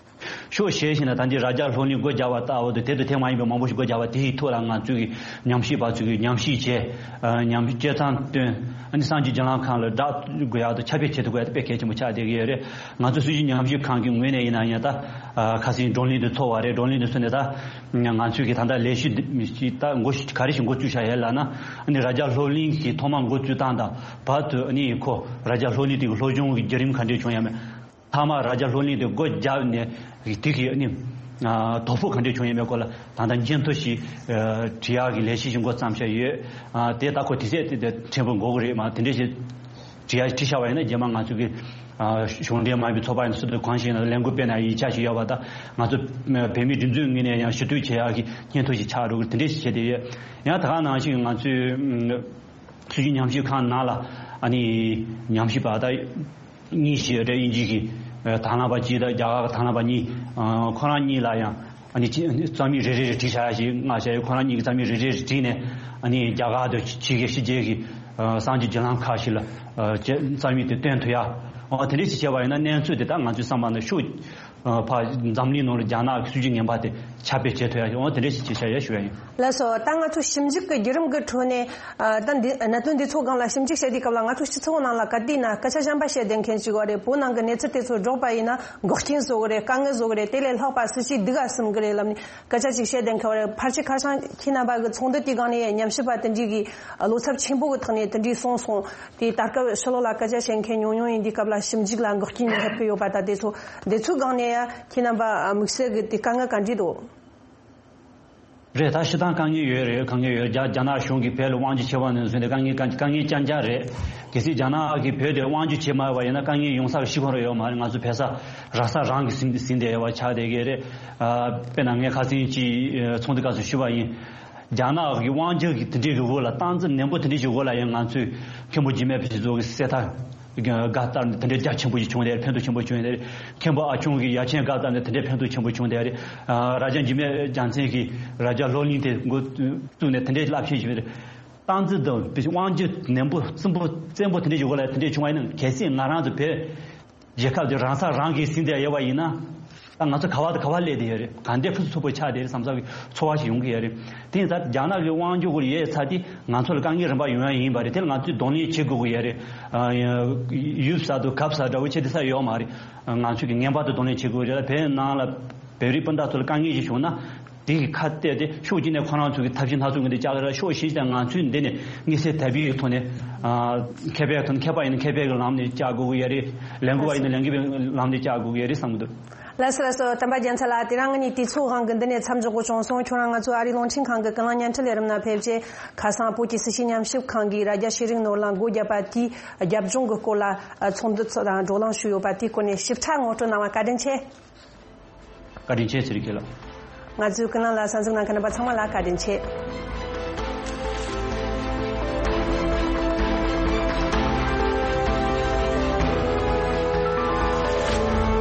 ཕྱོགས་གཞན་ཞིག་ནས་ད་འདི་རྭ་རྒྱ་སློབ་གླིང་སྒོ་རྒྱག་པ་ལྟ་བུ་དང་དེ་དང་དེ་མ་ཡིན་པའི་མང་པོ་ཞིག་སྒོ་རྒྱག་པ་དེའི་ཐོག་ལ་ང་ཚོས་ཀྱི་ཉམས་ཞིབ་པ་ཚོས་ཀྱི་ཉམས་ཞིབ་བྱས། ཨ། ཉམས་ཞིབ་དཔྱད་རྩོམ་བཏོན། ཨ་ནི་གསར་འགྱུར་བརྒྱུད་ལམ་ཁང་ལ་བསྒྲགས་དགོས་ཡག་དང་ཁྱབ་སྤེལ་བྱེད་ཐུབ་དགོས་ཡག་དེ་དཔེ་གལ་ཆེན་པོ་ཆགས་བསྡད་ཀྱི་ཡོད་རེད། ང་ཚོ་སྲིད་བྱུས་ཉམས་ཞིབ་ཁང་གི་ངོས་ནས་ཡིན་ན་ཡང་ད། ཨ། ཁ་སང་བགྲོ་གླེང་དེ་ཚོགས་པ་རེད། བགྲོ་གླེང་དེ་ཚོ་ནས་ད་ང་ཚོས་ཀྱི་ད་ལྟ་ལས་གཞི་འདི་ད་འགོ་ག་རེ་ཞིག་འགོ་བཙུགས་བཞག་ཡོད་ལབ་ན། ཨ་ནི་རྭ་རྒྱ་སློབ་གླིང་གི་ཐོག་མ་འགོ་བཙུགས་སྟངས་དང་བར་དུ། ཨ་ནི་ཁོ་རྭ་རྒྱ་སློབ་གླིང་དེ་གི་སློབ་སྦྱོང་གི་བརྒྱུད་རིམ་ག་འདྲས་བྱུང་ཡོད་མེད། མཐའ་མ་རྭ་རྒྱ་སློབ་གླིང་དེ་སྒོ་བརྒྱབ་ནས་དེ་གི་ཨ་ནི་ཨ་དོ་ཕོག་ག་འདྲས་བྱུང་ཡོད་མེད་སྐོར་ལ་ད་ལྟ་སྙན་ཐོ་ཞིག་ཨ་བྲིས་ཡག་གི་ལས་གཞི་ཞིག་འགོ་བརྩམས་བཞག་ཡོད། ཨ་དེ་ད་ཁོ་དུས་ཚོད་དེ་དེ་ཕྲན་བུ་འགོར་གི་རེད། མ་དེ་འདྲས་ཞིག་བྲིས་ཡག་བྲིས་བཞག་པ་ཡིན་ན། རྗེས་མ་ང་ཚོ་གི་ཨ་གཞུང་འབྲེལ་མ་ཡིན་པའི་ཚོགས་པ་ཡིན་ན་སུ་དང་གང་ཞིག་ཡིན་ན་ལས་འགུལ་སྤེལ་ན་ཡིད་ཆེས་ཞིག་ཡོད་པ་དང་། ང་ཚོ་བོད་མིའི་སྒྲིག་འཛུགས་ངོས་ནས་ཡང་ཞུ་གཏུག་བྱེད་ཡག་གི་སྙན་ཐོ་ཞིག་ཆགས་འགྲོ་གི། དེ་འདྲས་ཞིག་བྱས་བསྡད་ཡོད། ཡང་ད་ག་ནང་བཞིན་ང་ཚོའི་ཨ་སྲིད་བྱུས་ཉམས་ཞིབ་ཁང་ནང་ལ་ཨ་ནི་ཉམས་ཞིབ་པ་ད་གཉིས་ཤིག་ཡོད་རེད། དབྱིན་ཇི་གི་ཨ་དང་བླངས་པ་གཅིག་དང་རྒྱ་གར་གྱི་དང་བླངས་པ་གཉིས། ཨ་ཁོ་རང་གཉིས་ལ་ཡང་ཨ་ནི་ཅི་རྩོམ་ཡིག་རེ་རེ་རེ་བྲིས་བཞག་ཡ་ཞིག་མངགས་བཞག་ཡོད། ཁོ་རང་གཉིས་ཀྱིས་རྩོམ་ཡིག་རེ་རེ་རེ་བྲིས་ནས་ཨ་ནི་རྒྱ་གར་དང་ཕྱི་རྒྱལ་ཕྱི་རྒྱལ་གྱི་ཨ་གསར་འགྱུར་བརྒྱུད་ལམ་ཁག་ཞིག་ལ་ཨ་རྩོམ་ཡིག་དེ་སྟོན་ཐུབ་ཡ། འོ་དེ་འདྲས་ཞིག་བྱས་པ་ཡིན་ན་གནས་ཚུལ་དེ་ད་ང་ཚོའི་བསམ་པ་ནང་ཤུགས། ཨ་ཕར་འཛམ་གླིང་ནང་ལ་རྒྱ་ནག་གི་སྲིད་བྱུས་ངན་པ་དེ་ཁྱབ་སྤེལ་བྱེད་ཐུབ་ཡ་ཞིག་འོ་དེ་འདྲས་ཞིག་བྱེད་བྱ་ཡ་ཞུ་ཡ་ཡིན། ལགས་སོ། ད་ང་ཚོ་ཞིབ་འཇུག་གི་བརྒྱུད་རིམ་གྱི་ཁྲོད་ནས། ཨ་ད་འདི་གནད་དོན་འདི་ཚོ་སྒང་ལ་ཞིབ་འཇུག་བྱེད་དུས་སྐབས་ལ་ང་ཚོ་སྤྱི་ཚོགས་ནང་ལ་ག་དུས་ན་སྐད་ཆ་གཞན་པ་བཤད་བསྡད་མཁན་ཅིག་ཡོད་རེད། བོད་ནང་གི་གནས་ཚུལ་དེ་ཚོ་སྒྲོག་པ་ཡིན་ན་འགོག་རྐྱེན་བཟོ་གི་རེད། དཀའ་ངལ་བཟོ་གི་རེད། དེ་ལས་ལྷག་པ་སྲིད་བྱུས་སྡུག་ག་ཟིན་གི་རེད་ལབ་ནས་སྐད་ཆ་ཅིག་བཤད་བསྡད་མཁན་ཡོད་རེད། ཕལ་ཆེར་ཁ་སང་ཁྱེད་རྣམ་པ་གི་ཚོགས་འདུ་དེའི་སྒང་ནས་ཉམས་ཞིབ་པ་དེ་འདྲས་ཀྱི་བློ་འཚབ་ཆེན་པོ་གི་ཐོག་ནས་དེ་འདྲས་གསུངས་སོང་། དེ་ད་སྐབས་ཕྱི་ལོགས་ལ་སྐད་ཆ་བཤད་མཁན་ཉུང་ཉུང་ཡིན་དུས་སྐབས་ལ་ཞིབ་འཇུག་ལ་འགོག་རྐྱེན་སླེབས་ཀྱི་ཡོད་པ་དང་། དེ་ཚོ་འདི་ཚོའི་སྒང་ནས་ཡ་ཁྱེད་རྣམ་པ་དམིགས་བསལ་གྱི་དེ་དཀའ་ངལ་ག་འདྲས་འདུག་རེད། ད་སྤྱིར་བཏང་དཀའ་ངལ་ཡོད་རེད། དཀའ་ངལ་ཡོད། རྒྱ་རྒྱ་ནག་གཞུང་གིས་བོད་ལ་དབང་སྒྱུར་བྱས་པ་ནས་བཟུང་སྟེ་དཀའ་ངལ་དཀའ་དཀའ་ངལ་རྐྱང་རྐྱང་རེད། གལ་སྲིད་རྒྱ་ནག་གིས་བོད་དེ་དབང་སྒྱུར་བྱས་མ་བ་ཡིན་ན་དཀའ་ངལ་ཡོང་ས་གི་གཞི་ཁོ་རང་ཡོད་མ་རེད། ང་ཚོ་བོད་ས་རང་ས་རང་གིས་ཟིན་ཟིན་བསྡད་ཡོད་པ་ཆགས་བསྡད་ཀྱི་རེད། ཨ་དཔེར་ན་ངས་ཁ་སང་ཅིག་ཚོགས་འདུ་སྐབས་སུ་ཞུས་པ་ཡིན། རྒྱ་ནག་གི་དབང་སྒྱུར་གྱི་དེ་འདྲའི་གི་འོག་ལ་སྟངས་འཛིན་ནན་པོ་དེ་འདྲའི་གི་འོག་ལ་ཡང་ང་ཚོས་མཁན་པོ་འཇིགས་མེད་ཕུན་ཚོགས་ཀྱི་གསེར་ཐར་དགའ་སྟར་ནས་དེ་འདྲའི་རྒྱ་ཆེན་པོ་ཞིག་བྱུང་བསྡད་རེད། ཕན་ཐོགས་ཆེན་པོ་བྱུང་བསྡད་རེད། མཁན་པོ་ཨ་ཆུང་གི་ཡ་ཆེན་དགའ་སྟར་ནས་དེ་འདྲའི་ཕན་ཐོགས་ཆེན་པོ་བྱུང་བསྡད་རེད། ཨ་རྭ་རྒྱ་འཇིགས་མེད་རྒྱལ་མཚན་གྱིས་རྭ་རྒྱ་སློབ་གླིང་དེ་འགོ་བཙུགས་ནས་དེ་འདྲའི་རླབས་ཆེན་ཞིག་རེད། སྟངས་འཛིན་དང་དབང་སྒྱུར་ནན་པོ་བཙན་པོ་བཙན་པོ་དེ་འདྲའི་ཞིག་འོག་ལ་དེ་འདྲའི་བྱུང་བ་ཡིན་ན། གལ་སྲིད་ང་རང་ཚོ་བོད་རྒྱལ་ཁབ་དེ་རང་ས་རང་གིས་ཟིན་བསྡད་ཡོད་པ་ཡིན་ན། ད་ང་ཚོ་ག་བ་དང་ག་བ་སླེབས་བསྡད་ཡོད་རེད། ག་འདྲའི་ཕུན་སུམ་ཚོགས་པོ་ཆགས་བསྡད་རེད་བསམ་ས་གི་ཚོར་བ་ཞིག་ཡོང་གི་ཡོད་རེད། དེ་ཡིན་ཙང་རྒྱ་ནག་གི་དབང་སྒྱུར་འོག་ལ་ཡོད་ཚར་དུས་ང་ཚོ་ལ་དཀའ་ངལ་རིམ་པ་ཡོང་ཡ་ཡིན་པ་རེད། དེ་ལ་ང་ཚོས་གདོང་ལེན་བྱེད་དགོས་ཀྱི་ཡོད་རེད། ཨ་ཡ་ཡུལ་གསར་དུ་གབ་ས་འདྲ་བོ་བྱེད་བསྡད་ས་ཡོད་མ་རེད། ང་ཚོས་ཀྱི་ངེས་པར་དུ་གདོང་ལེན་བྱེད་དགོས་རེད། བོད་ནང་ལ་བོད་རིགས་སྤུན་ཟླ་ཚོ་ལ་དཀའ་ངལ་ཞིག་བྱུང་ན། དེ་གི་ཁ་གཏད་དེ་ཕྱོགས་གཅིག་ནས་ཁོ་རང་ཚོ་གི་ཐབས་ཤེས་སྣ་ཚོགས་ཀྱི་འདི་བཅག་གི་རེད། ཕྱོགས་གཞན་ཞིག་ནས་ང་ཚོས་འདི་ནས་དམིགས་བསལ་དད་པའི་གི་ཐོག་ནས། ཨ་མཁས་པའི་ཐོག་ནས། མཁས་པ་ཡིན་ན་མཁས་པའི་གི་ལམ་ནས་བཅག་དགོས་ཀྱི་ཡོད་རེད། ལས་འགུལ་བ་ཡིན་ན་ལས་འགུལ་བའི་ལམ་ནས་བཅག་དགོས་ཀྱི་ཡོད་རེད་བསམ་གྱི་འདུག་ལགས་སོ་ལགས་སོ། དམ་པ་རྒྱལ་མཚན་ལགས། དེ་རིང་ངེད་གཉིས་དུས་ཚོད་དབང་གིས་འདི་ནས་མཚམས་འཇོག་དགོས་བྱུང་སོང་། ཁྱོད་རང་ང་ཚོའི་ཨ་རིའི་རླུང་འཕྲིན་ཁང་གི་ཀུན་གླེང་བརྙན་འཕྲིན་ལས་རིམ་ནང་ཕེབས་རྗེས་ཁ་སང་བོད་ཀྱི་སྲིད་བྱུས་ཉམས་ཞིབ་ཁང་གིས་རྭ་རྒྱ་ཤེས་རིག་ནོར་གླིང་སྒོ་བརྒྱབ་པ་དེའི་རྒྱབ་ལྗོངས་ཀྱི་སྐོར་ལ་ཚོགས་འདུ་ཚོགས་དང་བགྲོ་གླེང་ཞུས་ཡོད་པ་དེའི་སྐོར་ནས་ཞིབ་ཕྲ་ངོ་སྤྲོད་གནང་བ་བཀའ་དྲིན་ཆེ། བཀའ་དྲིན་ཆེ་ཚེ་རིང་སྐྱིད་ལགས། ང་ཚོའི་ཀུན་གླེང་ལ་གསན་གཟིགས་གནང་མཁན་རྣམ་པ་ཚང་མ་ལ་བཀའ་དྲིན་ཆེ།